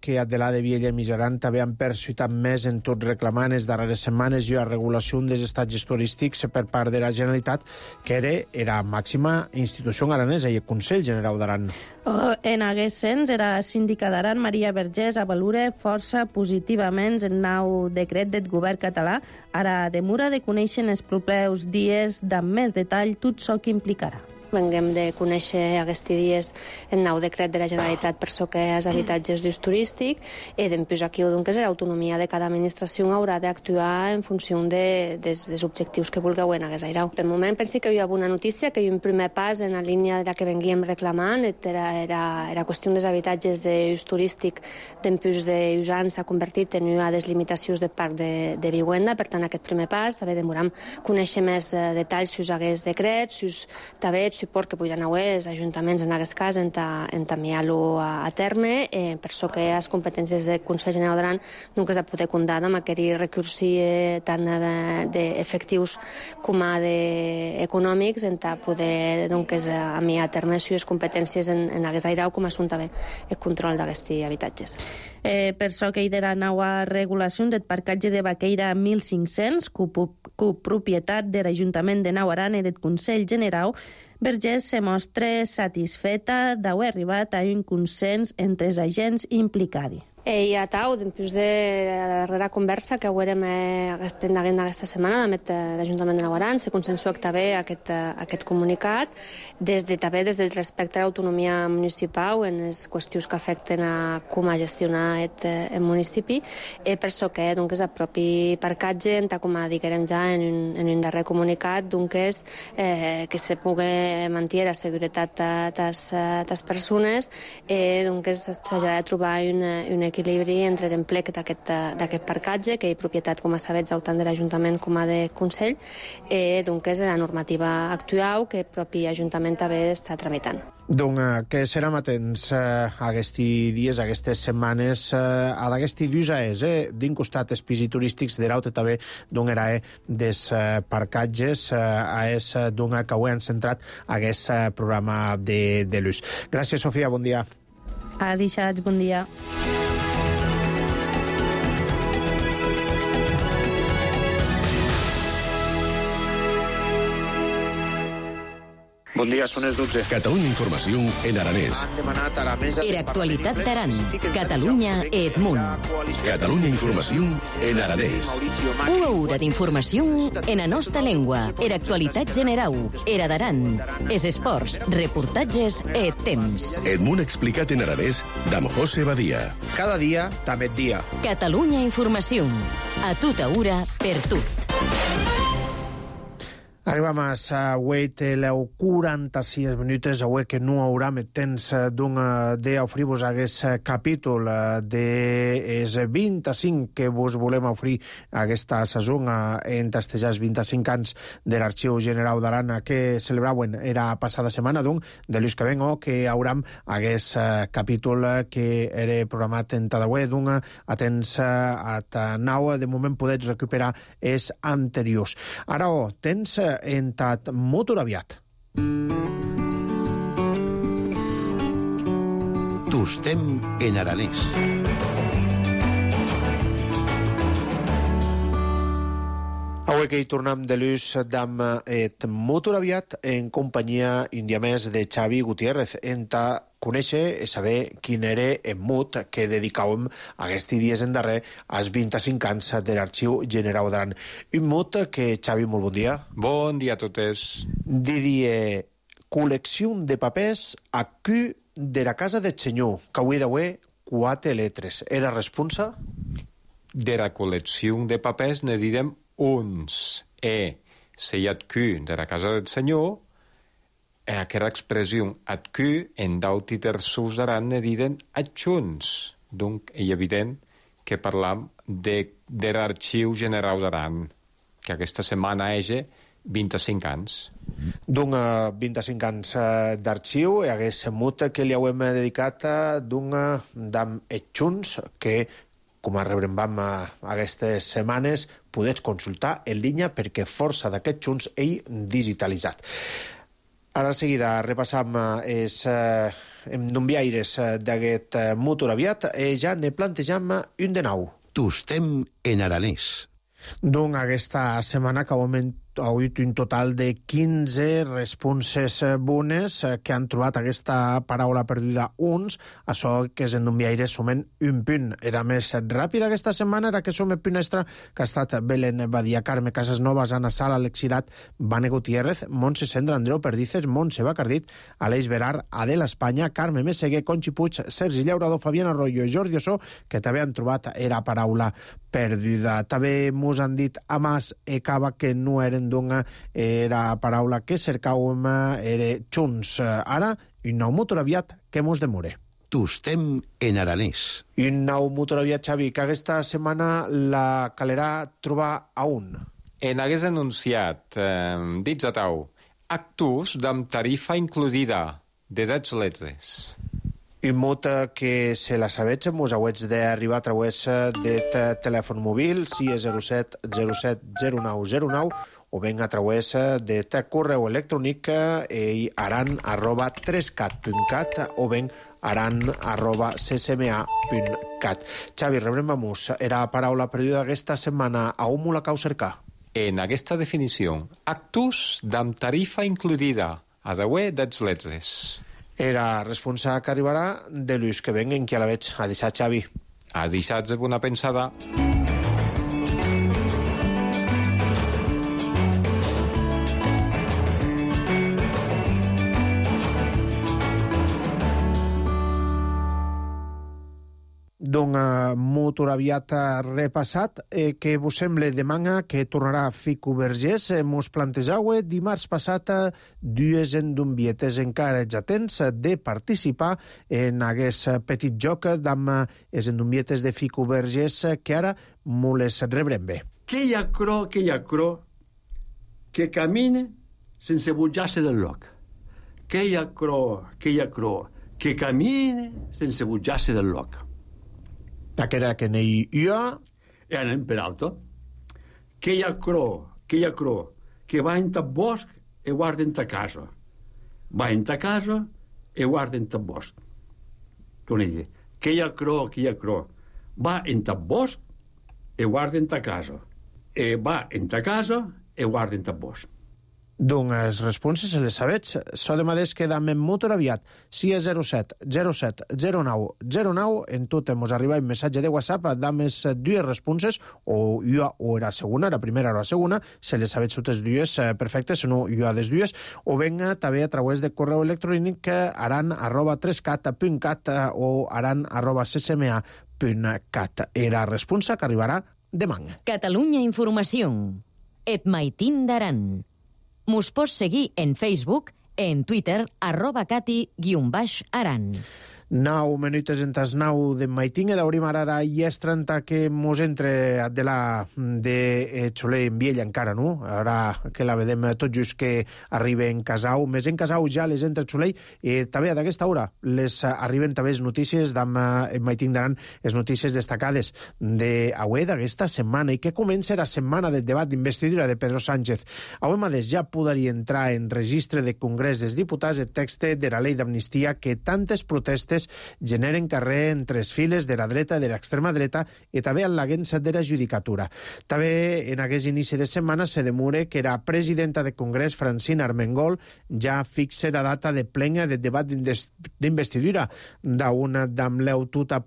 que a de la de Viella i Mijaran també han persuitat més en tot reclamant les darreres setmanes i la regulació dels estatges turístics per part de la Generalitat, que era la màxima institució aranesa i el Consell General d'Aran. Oh, en aquest sens, era la síndica d'Aran, Maria Vergés, a valora força positivament el nou decret del govern català. Ara demora de conèixer els propers dies d'amb més detall tot això que implicarà. Venguem de conèixer aquests dies el nou decret de la Generalitat per so que és habitatges d'ús turístic i després aquí doncs l'autonomia de cada administració haurà d'actuar en funció de, des, dels objectius que vulgueu en aquest airau. Per moment penso que hi ha una notícia, que hi ha un primer pas en la línia de la que venguem reclamant, era, era, era qüestió dels habitatges d'ús turístic d'empús d'ús anys s'ha convertit en una des limitacions de parc de, de vivenda, per tant aquest primer pas també demorem conèixer més eh, detalls si us hagués decret, si us també suport que poden haver els ajuntaments en aquest cas en enviar-lo a, a terme, eh, per això que les competències del Consell General d'Aran doncs es poder comptar amb aquell recursi eh, tant d'efectius com a econòmics en poder doncs, enviar a terme les seves competències en, en aquest airau com a assumpte el control d'aquests habitatges. Eh, per això que hi ha nova regulació del parcatge de Baqueira mil cinc-cents, copropietat de l'Ajuntament de Nauaran i del Consell General, Vergés se mostra satisfeta d'haver arribat a un consens entre els agents implicats. I a tau, després de la darrera conversa que haurem pendent aquesta setmana amb l'Ajuntament de Nauaran, se consensua també aquest, aquest comunicat, des de, també des del respecte a l'autonomia municipal en les qüestions que afecten a com a gestionar el, el municipi, eh, per això que doncs, el propi parcatge, com a diguem ja en un, en un darrer comunicat, doncs, eh, que se pugui mantenir la seguretat de les persones, eh, doncs s'ha de trobar una, una equilibri entre l'emplec d'aquest parcatge, que és propietat, com a sabets, tant de l'Ajuntament com a de Consell, eh, doncs la normativa actual que el propi Ajuntament també està tramitant. Donc, que serem atents a aquests dies, a aquestes setmanes, a d'aquests dies, eh, d'un costat els pisos turístics, de l'altre també d'un era des parcatges, a és d'un que ho han centrat aquest programa de, de l'ús. Gràcies, Sofia, bon dia. A deixats, bon dia. Bon dia, són les dotze. Catalunya Informació en aranès. Han demanat a la mesa... Era actualitat d'Aran. Catalunya Edmunt. Catalunya Informació en aranès. Una hora d'informació en la nostra llengua. Era actualitat general. Era d'Aran. Es esports, reportatges e temps. Edmunt explicat en aranès d'Am José Badia. Cada dia, també et dia. Catalunya Informació. A tota hora, per tot. Arribam a avui teleu quaranta-sis minuts, avui que no haurà més temps d'oferir-vos aquest capítol dels vint-i-cinc que vos volem oferir aquesta saison en testejars vint-i-cinc anys de l'Arxiu General d'Aran que celebraven era passada setmana, doncs, de l'ús que vengo, que hauram aquest capítol que era programat en Tadawé, doncs, atents a Tanau, de moment podets recuperar els anteriors. Ara, oh, tens entat molt aviat. Tostem en aranès. Avui que hi tornem de l'ús d'am et molt aviat en companyia un dia més de Xavi Gutiérrez, enta conèixer i saber quin era el mot que dedicàvem aquests dies en darrer als vint-i-cinc anys de l'Arxiu General d'Aran. Un mot que, Xavi, molt bon dia. Bon dia a totes. Diria col·lecció de papers a Q de la casa del senyor, que avui d'avui quatre letres. Era responsa? De la col·lecció de papers ne direm uns. E se hi ha Q de la casa del senyor, aquesta expressió adcu en d'auti terços d'Aran ne diden adjunts. Donc, és evident que parlam de, de l'Arxiu General d'Aran, que aquesta setmana és vint-i-cinc anys. D'un vint-i-cinc anys d'arxiu, i hagués mut que li hauem dedicat d'un d'am adjunts que, com a rebrem aquestes setmanes, podets consultar en línia perquè força d'aquests junts ell digitalitzat. Ara seguida repassam els eh, enviaires d'aquest motor aviat i ja ne plantejam un de nou. Tostem en aranès. Doncs aquesta setmana que augment ha hagut un total de quinze responses bones que han trobat aquesta paraula perduda uns, això que és en enviaire sumen un punt. Era més ràpida aquesta setmana, era que som el punt extra que ha estat Belén Badia, Carme Casasnovas, Ana Sala, Alexirat, Vane Gutiérrez, Montse Sendra, Andreu Perdices, Montse Bacardit, Aleix Verar, Adela Espanya, Carme Meseguer, Conxi Puig, Sergi Llaurador, Fabián Arroyo i Jordi Ossó, que també han trobat era paraula perduda. També mos han dit Amas e Cava que no eren d'una era paraula que cercàvem era junts. Ara, un nou motor aviat que mos demore. Tostem en aranès. Un nou motor aviat, Xavi, que aquesta setmana la calerà trobar a un. En hagués anunciat, eh, dits a tau, actus amb tarifa incluïda de dez letres. I molta que se la sabets, mos hauets d'arribar a través de telèfon mòbil, si és zero set zero set zero nou zero nou, o ben a través de correu electrònic eh, aran arroba tres cat punt cat o ben aran arroba ccma punt cat. Xavi, rebrem a mus. Era paraula perduda aquesta setmana. A on la cau cercar? En aquesta definició, actus amb tarifa incluïda, a deu dez letres. Era responsable que arribarà de l'ús que venguen, que a la veig. A deixar, Xavi. A deixar de bona pensada. Doncs uh, molt aviat repassat, eh, que vos sembla demana que tornarà a Fico Vergés. Eh, mos plantejau dimarts passat dues endumbietes encara ets atents de participar en aquest petit joc amb les endumbietes de Fico Vergés que ara mo les rebrem bé. Que hi ha cro, que hi ha cro, que camine sense bujar-se del lloc. Que hi ha cro, que hi ha cro, que camine sense bujar-se del lloc. Aquera que n'hi jo... E anem per alto. Que hi ha cro, que hi ha cro, que va en ta bosc e guarda en ta casa. Va en ta casa e guarda en ta bosc. Torna a dir. Que hi ha cro, que hi ha cro, va en ta bosc e guarda en ta casa. E va en ta casa e guarda en ta bosc. Doncs les responses se les sabets. So de madés que dam en molt aviat. Si és zero set zero set zero nou zero nou, en tot mos arriba un missatge de WhatsApp, dam les dues responses, o jo o era segona, la primera o la segona, se les sabets totes dues perfectes, si no jo a les dues, o venga també a través de correu electrònic aran arroba tres cat punt cat o aran arroba ccma punt cat. Era responsa que arribarà demà. Catalunya Informació. Et maitin d'aran. Mos pots seguir en Facebook, en Twitter, arroba cati guion baix aran. Nou minutes en tas nou de maitinga d'obrim ara i és trenta que mos entre de la de Xoler en Viella encara, no? Ara que la vedem tot just que arriba en Casau, més en Casau ja les entre Xoler, i també d'aquesta hora les arriben també les notícies d'en maiting d'aran, les notícies destacades d'avui d'aquesta setmana, i que comença la setmana del debat d'investidura de Pedro Sánchez. Avui mateix ja podria entrar en registre de Congrés dels Diputats el text de la llei d'amnistia que tantes protestes generen carrer entre les files de la dreta i de l'extrema dreta i també en l'agència de la judicatura. També en aquest inici de setmana se demure que la presidenta de Congrés, Francina Armengol, ja fixa la data de plena del debat d'investidura d'una amb l'aututa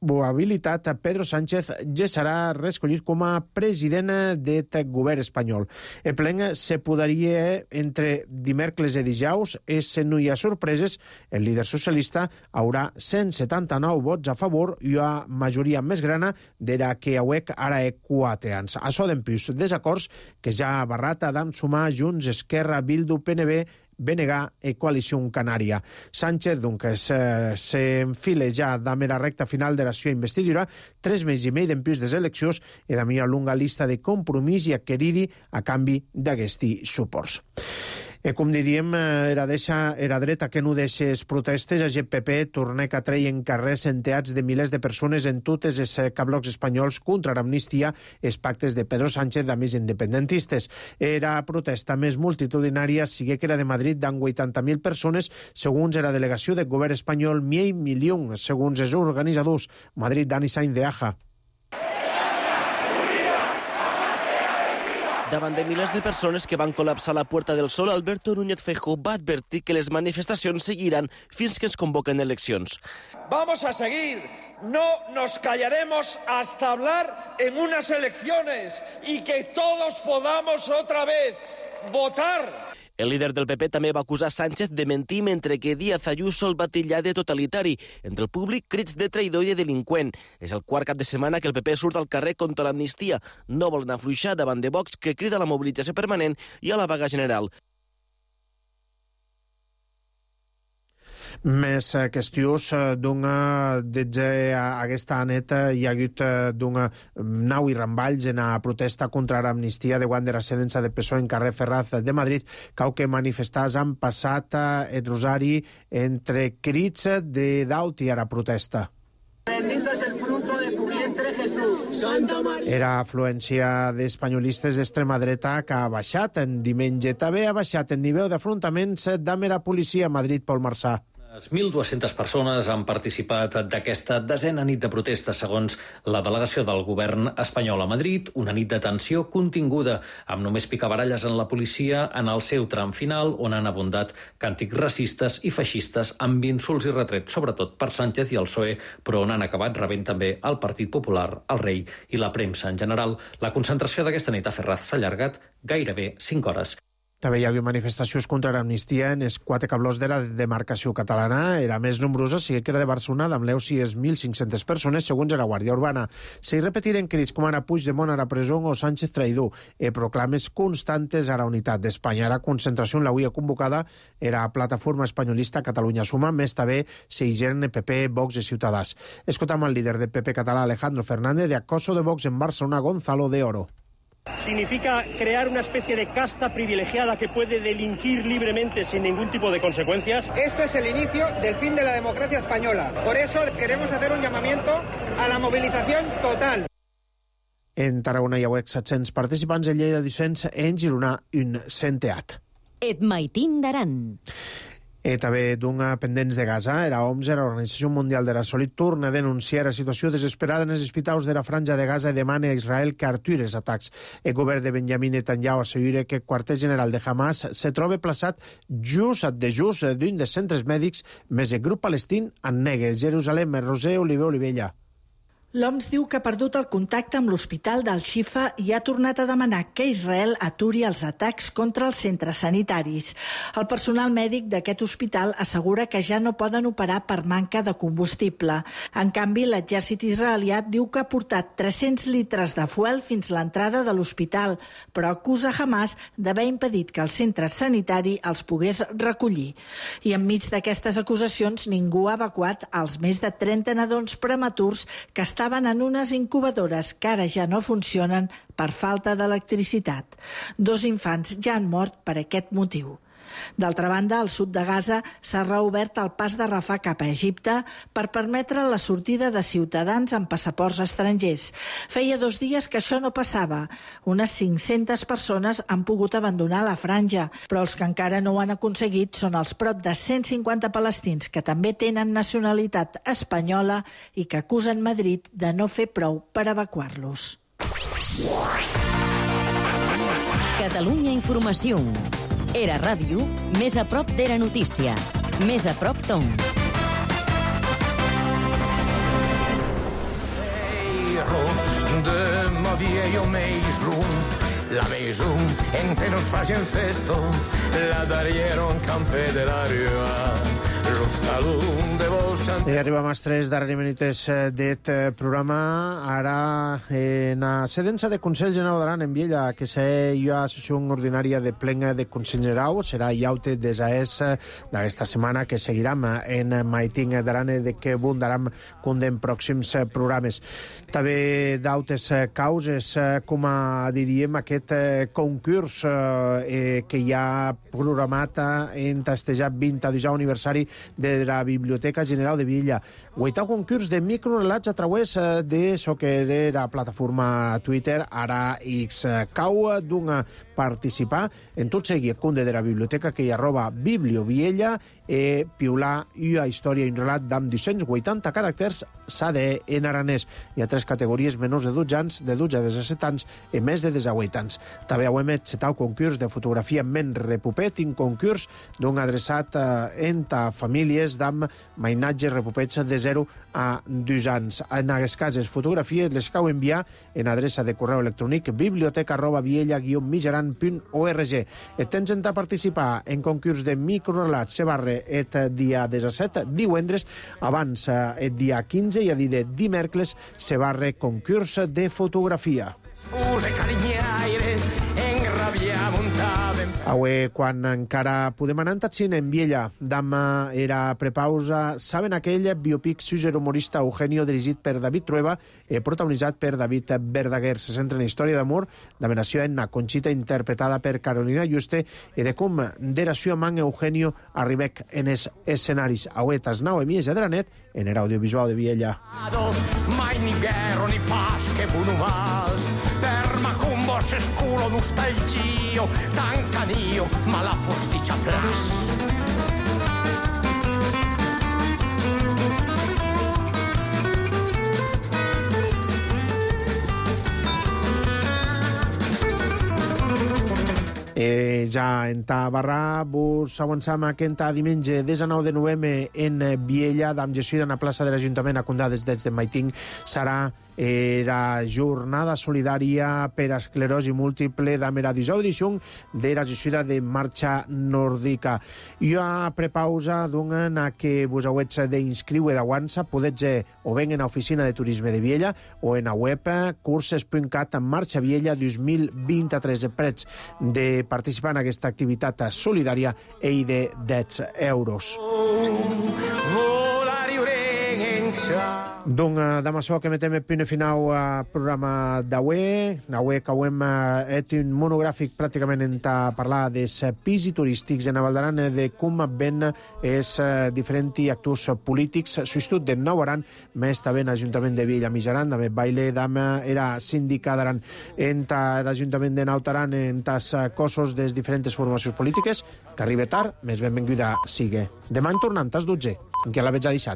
probabilitat Pedro Sánchez ja serà reescollit com a president del govern espanyol. El plen se podria entre dimecres i dijous, i si no hi ha sorpreses, el líder socialista haurà cent setanta-nou vots a favor i una majoria més grana de la que hauec ara he quatre anys. Això d'empús desacords que ja ha barrat d'am sumar Junts, Esquerra, Bildu, P N B, B N G i Coalició Canària. Sánchez, doncs, s'enfila ja amb la recta final de la seva investidura, tres mesos i mig d'empús de les eleccions i de una longa llista de compromís i acqueridi a canvi d'aquests suports. E com diríem, era, deixa, era dreta que no deixes protestes, a G P P torna que treien carrers centeats de milers de persones en totes els cablocs espanyols contra l'amnistia, els pactes de Pedro Sánchez de més independentistes. Era protesta més multitudinària, sigue que era de Madrid, d'en vuitanta mil persones, segons la delegació del govern espanyol, mil milions, segons els organitzadors. Madrid, Dani Sainz de Aja. Davant de milers de persones que van col·lapsar la Puerta del Sol, Alberto Núñez Feijóo va advertir que les manifestacions seguiran fins que es convoquen eleccions. Vamos a seguir, no nos callaremos hasta hablar en unas elecciones y que todos podamos otra vez votar. El líder del P P també va acusar Sánchez de mentir mentre que Díaz Ayuso el va titllar de totalitari. Entre el públic, crits de traïdor i de delinqüent. És el quart cap de setmana que el P P surt al carrer contra l'amnistia. No volen afluixar davant de Vox, que crida a la mobilització permanent i a la vaga general. Més qüestions d'una d'aquesta neta hi ha hagut d'una nau i ramballs en la protesta contra l'amnistia de guant de la sedença de P S O E en carrer Ferraz de Madrid, cau que manifestants han passat el rosari entre crits de daut i a la protesta. Bendito es el fruto de tu vientre, Jesús. Santa Maria. Era afluència d'espanyolistes d'extrema dreta que ha baixat en diumenge. També ha baixat el nivell d'afrontaments amb la policia a Madrid, Pol Marçà. mil dues-centes persones han participat d'aquesta desena nit de protesta, segons la delegació del govern espanyol a Madrid, una nit de tensió continguda, amb només picabaralles en la policia en el seu tram final, on han abundat càntics racistes i feixistes amb insults i retrets, sobretot per Sánchez i el P S O E, però on han acabat rebent també el Partit Popular, el rei i la premsa en general. La concentració d'aquesta nit a Ferraz s'ha allargat gairebé cinc hores. També hi havia manifestacions contra l'amnistia en els quatre cablós de la demarcació catalana. Era més nombrosa, sí que era de Barcelona, amb l'Eu sis mil cinc-centes persones, segons la Guàrdia Urbana. Se hi repetiren crits com ara Puigdemont a la presó o Sánchez traïdor, i proclames constantes a la unitat d'Espanya. La concentració en l'avui convocada era Plataforma Espanyolista Catalunya Suma, més també Seigen, P P, Vox i Ciutadans. Escoltam el líder de P P català, Alejandro Fernández, de acoso de Vox en Barcelona, Gonzalo de Oro. Significa crear una especie de casta privilegiada que puede delinquir libremente sin ningún tipo de consecuencias. Esto es el inicio del fin de la democracia española. Por eso queremos hacer un llamamiento a la movilización total. En Tarragona hi ha set-cents participants, en Lleida dos-cents, en Girona un centeat. Et maitin d'aran. E també d'una pendents de Gaza, la O M S, l'Organització Mundial de la Salut, torna a denunciar la situació desesperada en els hospitals de la Franja de Gaza i demana a Israel que aturi els atacs. El govern de Benjamin Netanyahu assegura que el quarter general de Hamas se troba plaçat just de just d'un dels centres mèdics, més el grup palestín en nega. Jerusalem, Roser Oliver Olivella. L'O M S diu que ha perdut el contacte amb l'hospital d'Al-Shifa i ha tornat a demanar que Israel aturi els atacs contra els centres sanitaris. El personal mèdic d'aquest hospital assegura que ja no poden operar per manca de combustible. En canvi, l'exèrcit israelià diu que ha portat tres-cents litres de fuel fins a l'entrada de l'hospital, però acusa Hamas d'haver impedit que el centre sanitari els pogués recollir. I enmig d'aquestes acusacions, ningú ha evacuat els més de trenta nadons prematurs que estan estaven en unes incubadores que ara ja no funcionen per falta d'electricitat. Dos infants ja han mort per aquest motiu. D'altra banda, al sud de Gaza s'ha reobert el pas de Rafah cap a Egipte per permetre la sortida de ciutadans amb passaports estrangers. Feia dos dies que això no passava. Unes cinc-centes persones han pogut abandonar la franja, però els que encara no ho han aconseguit són els prop de cent cinquanta palestins que també tenen nacionalitat espanyola i que acusen Madrid de no fer prou per evacuar-los. Catalunya Informació. Era ràdio, més a prop d'Era Notícia. Més a prop Tom. De ma viejo Maison, la Maison en que nos facen festo, la darieron campe de la rua, los talún de vos... I arribem als tres darreres minuts d'aquest programa. Ara, en la sedença de Consell General d'Aran en Viella, que hi ha sessió ordinària de plena de Consell General, serà iaute des a es d'aquesta setmana que seguirem en Maiting d'Aran de que abundaran condem pròxims programes. També d'autes causes, com diríem, aquest concurs eh, que hi ha programat en testejat vint-i-dos aniversari de la Biblioteca General de Viella. Guaitau concurs de microrelats a través de so que era plataforma Twitter, ara X. Cau d'un participar en tot seguit conde de la biblioteca que hi arroba Biblioviella e piular una història i un relat d'amb dos-cents vuitanta caràcters s'ha de en aranès. Hi ha tres categories menors de dotze anys, de dotze a disset anys i més de disset anys. També hem setau concurs de fotografia men repupet, un concurs d'un adreçat eh, enta famílies d'amb mainatges repupets de zero a dos anys. En aquests casos, fotografies les cau enviar en adreça de correu electrònic biblioteca arroba viella guion mijaran punt org. Et tens a participar en concurs de microrelats se barre et dia disset, divendres, abans el dia quinze i a dir de dimèrcles se barre concurs de fotografia. Avui, quan encara podem anar en en Viella, Dama era prepausa, saben aquell biopic suïsser humorista Eugenio, dirigit per David Trueba, eh, protagonitzat per David Verdaguer. Se centra en història d'amor, d'amenació en Conxita, interpretada per Carolina Juste, i de com d'eració amb Eugenio arribec en els escenaris. Avui, tas nau mies de Dranet, en era audiovisual de Viella. Mai ni guerra ni pas que bunumas, per macumbo s'esculo nostalgio, tan canio, ma la posticcia plas. Eh, ja en ta barra vos avançam aquest diumenge dinou de novembre en Viella, amb gestió en la plaça de l'Ajuntament a Condades des de Maiting. Serà era jornada solidària per a esclerosi múltiple damb era disau edició de la gestió de Marxa Nòrdica. Jo a prepausa donen a que vos hauets d'inscriure d'aguança, podets o ben en l'oficina de turisme de Viella o en la web curses punt cat en Marxa Viella dos mil vint-i-tres. Prets de participar en aquesta activitat solidària i de deu euros. Donc, damb açò que metem el punt final al programa d'avui. Avui que hem fet un monogràfic pràcticament en parlar dels pisos turístics en Val d'Aran, de com ven els diferents actors polítics. Substitut de Nou Aran, més també en l'Ajuntament de Viella Mijaran, també baile d'am era síndica d'Aran en l'Ajuntament de Naut Aran, en els cossos de les diferents formacions polítiques, que arriba tard, més benvinguda sigue. Demà en tornant, tas dotze, en què la veig a deixat.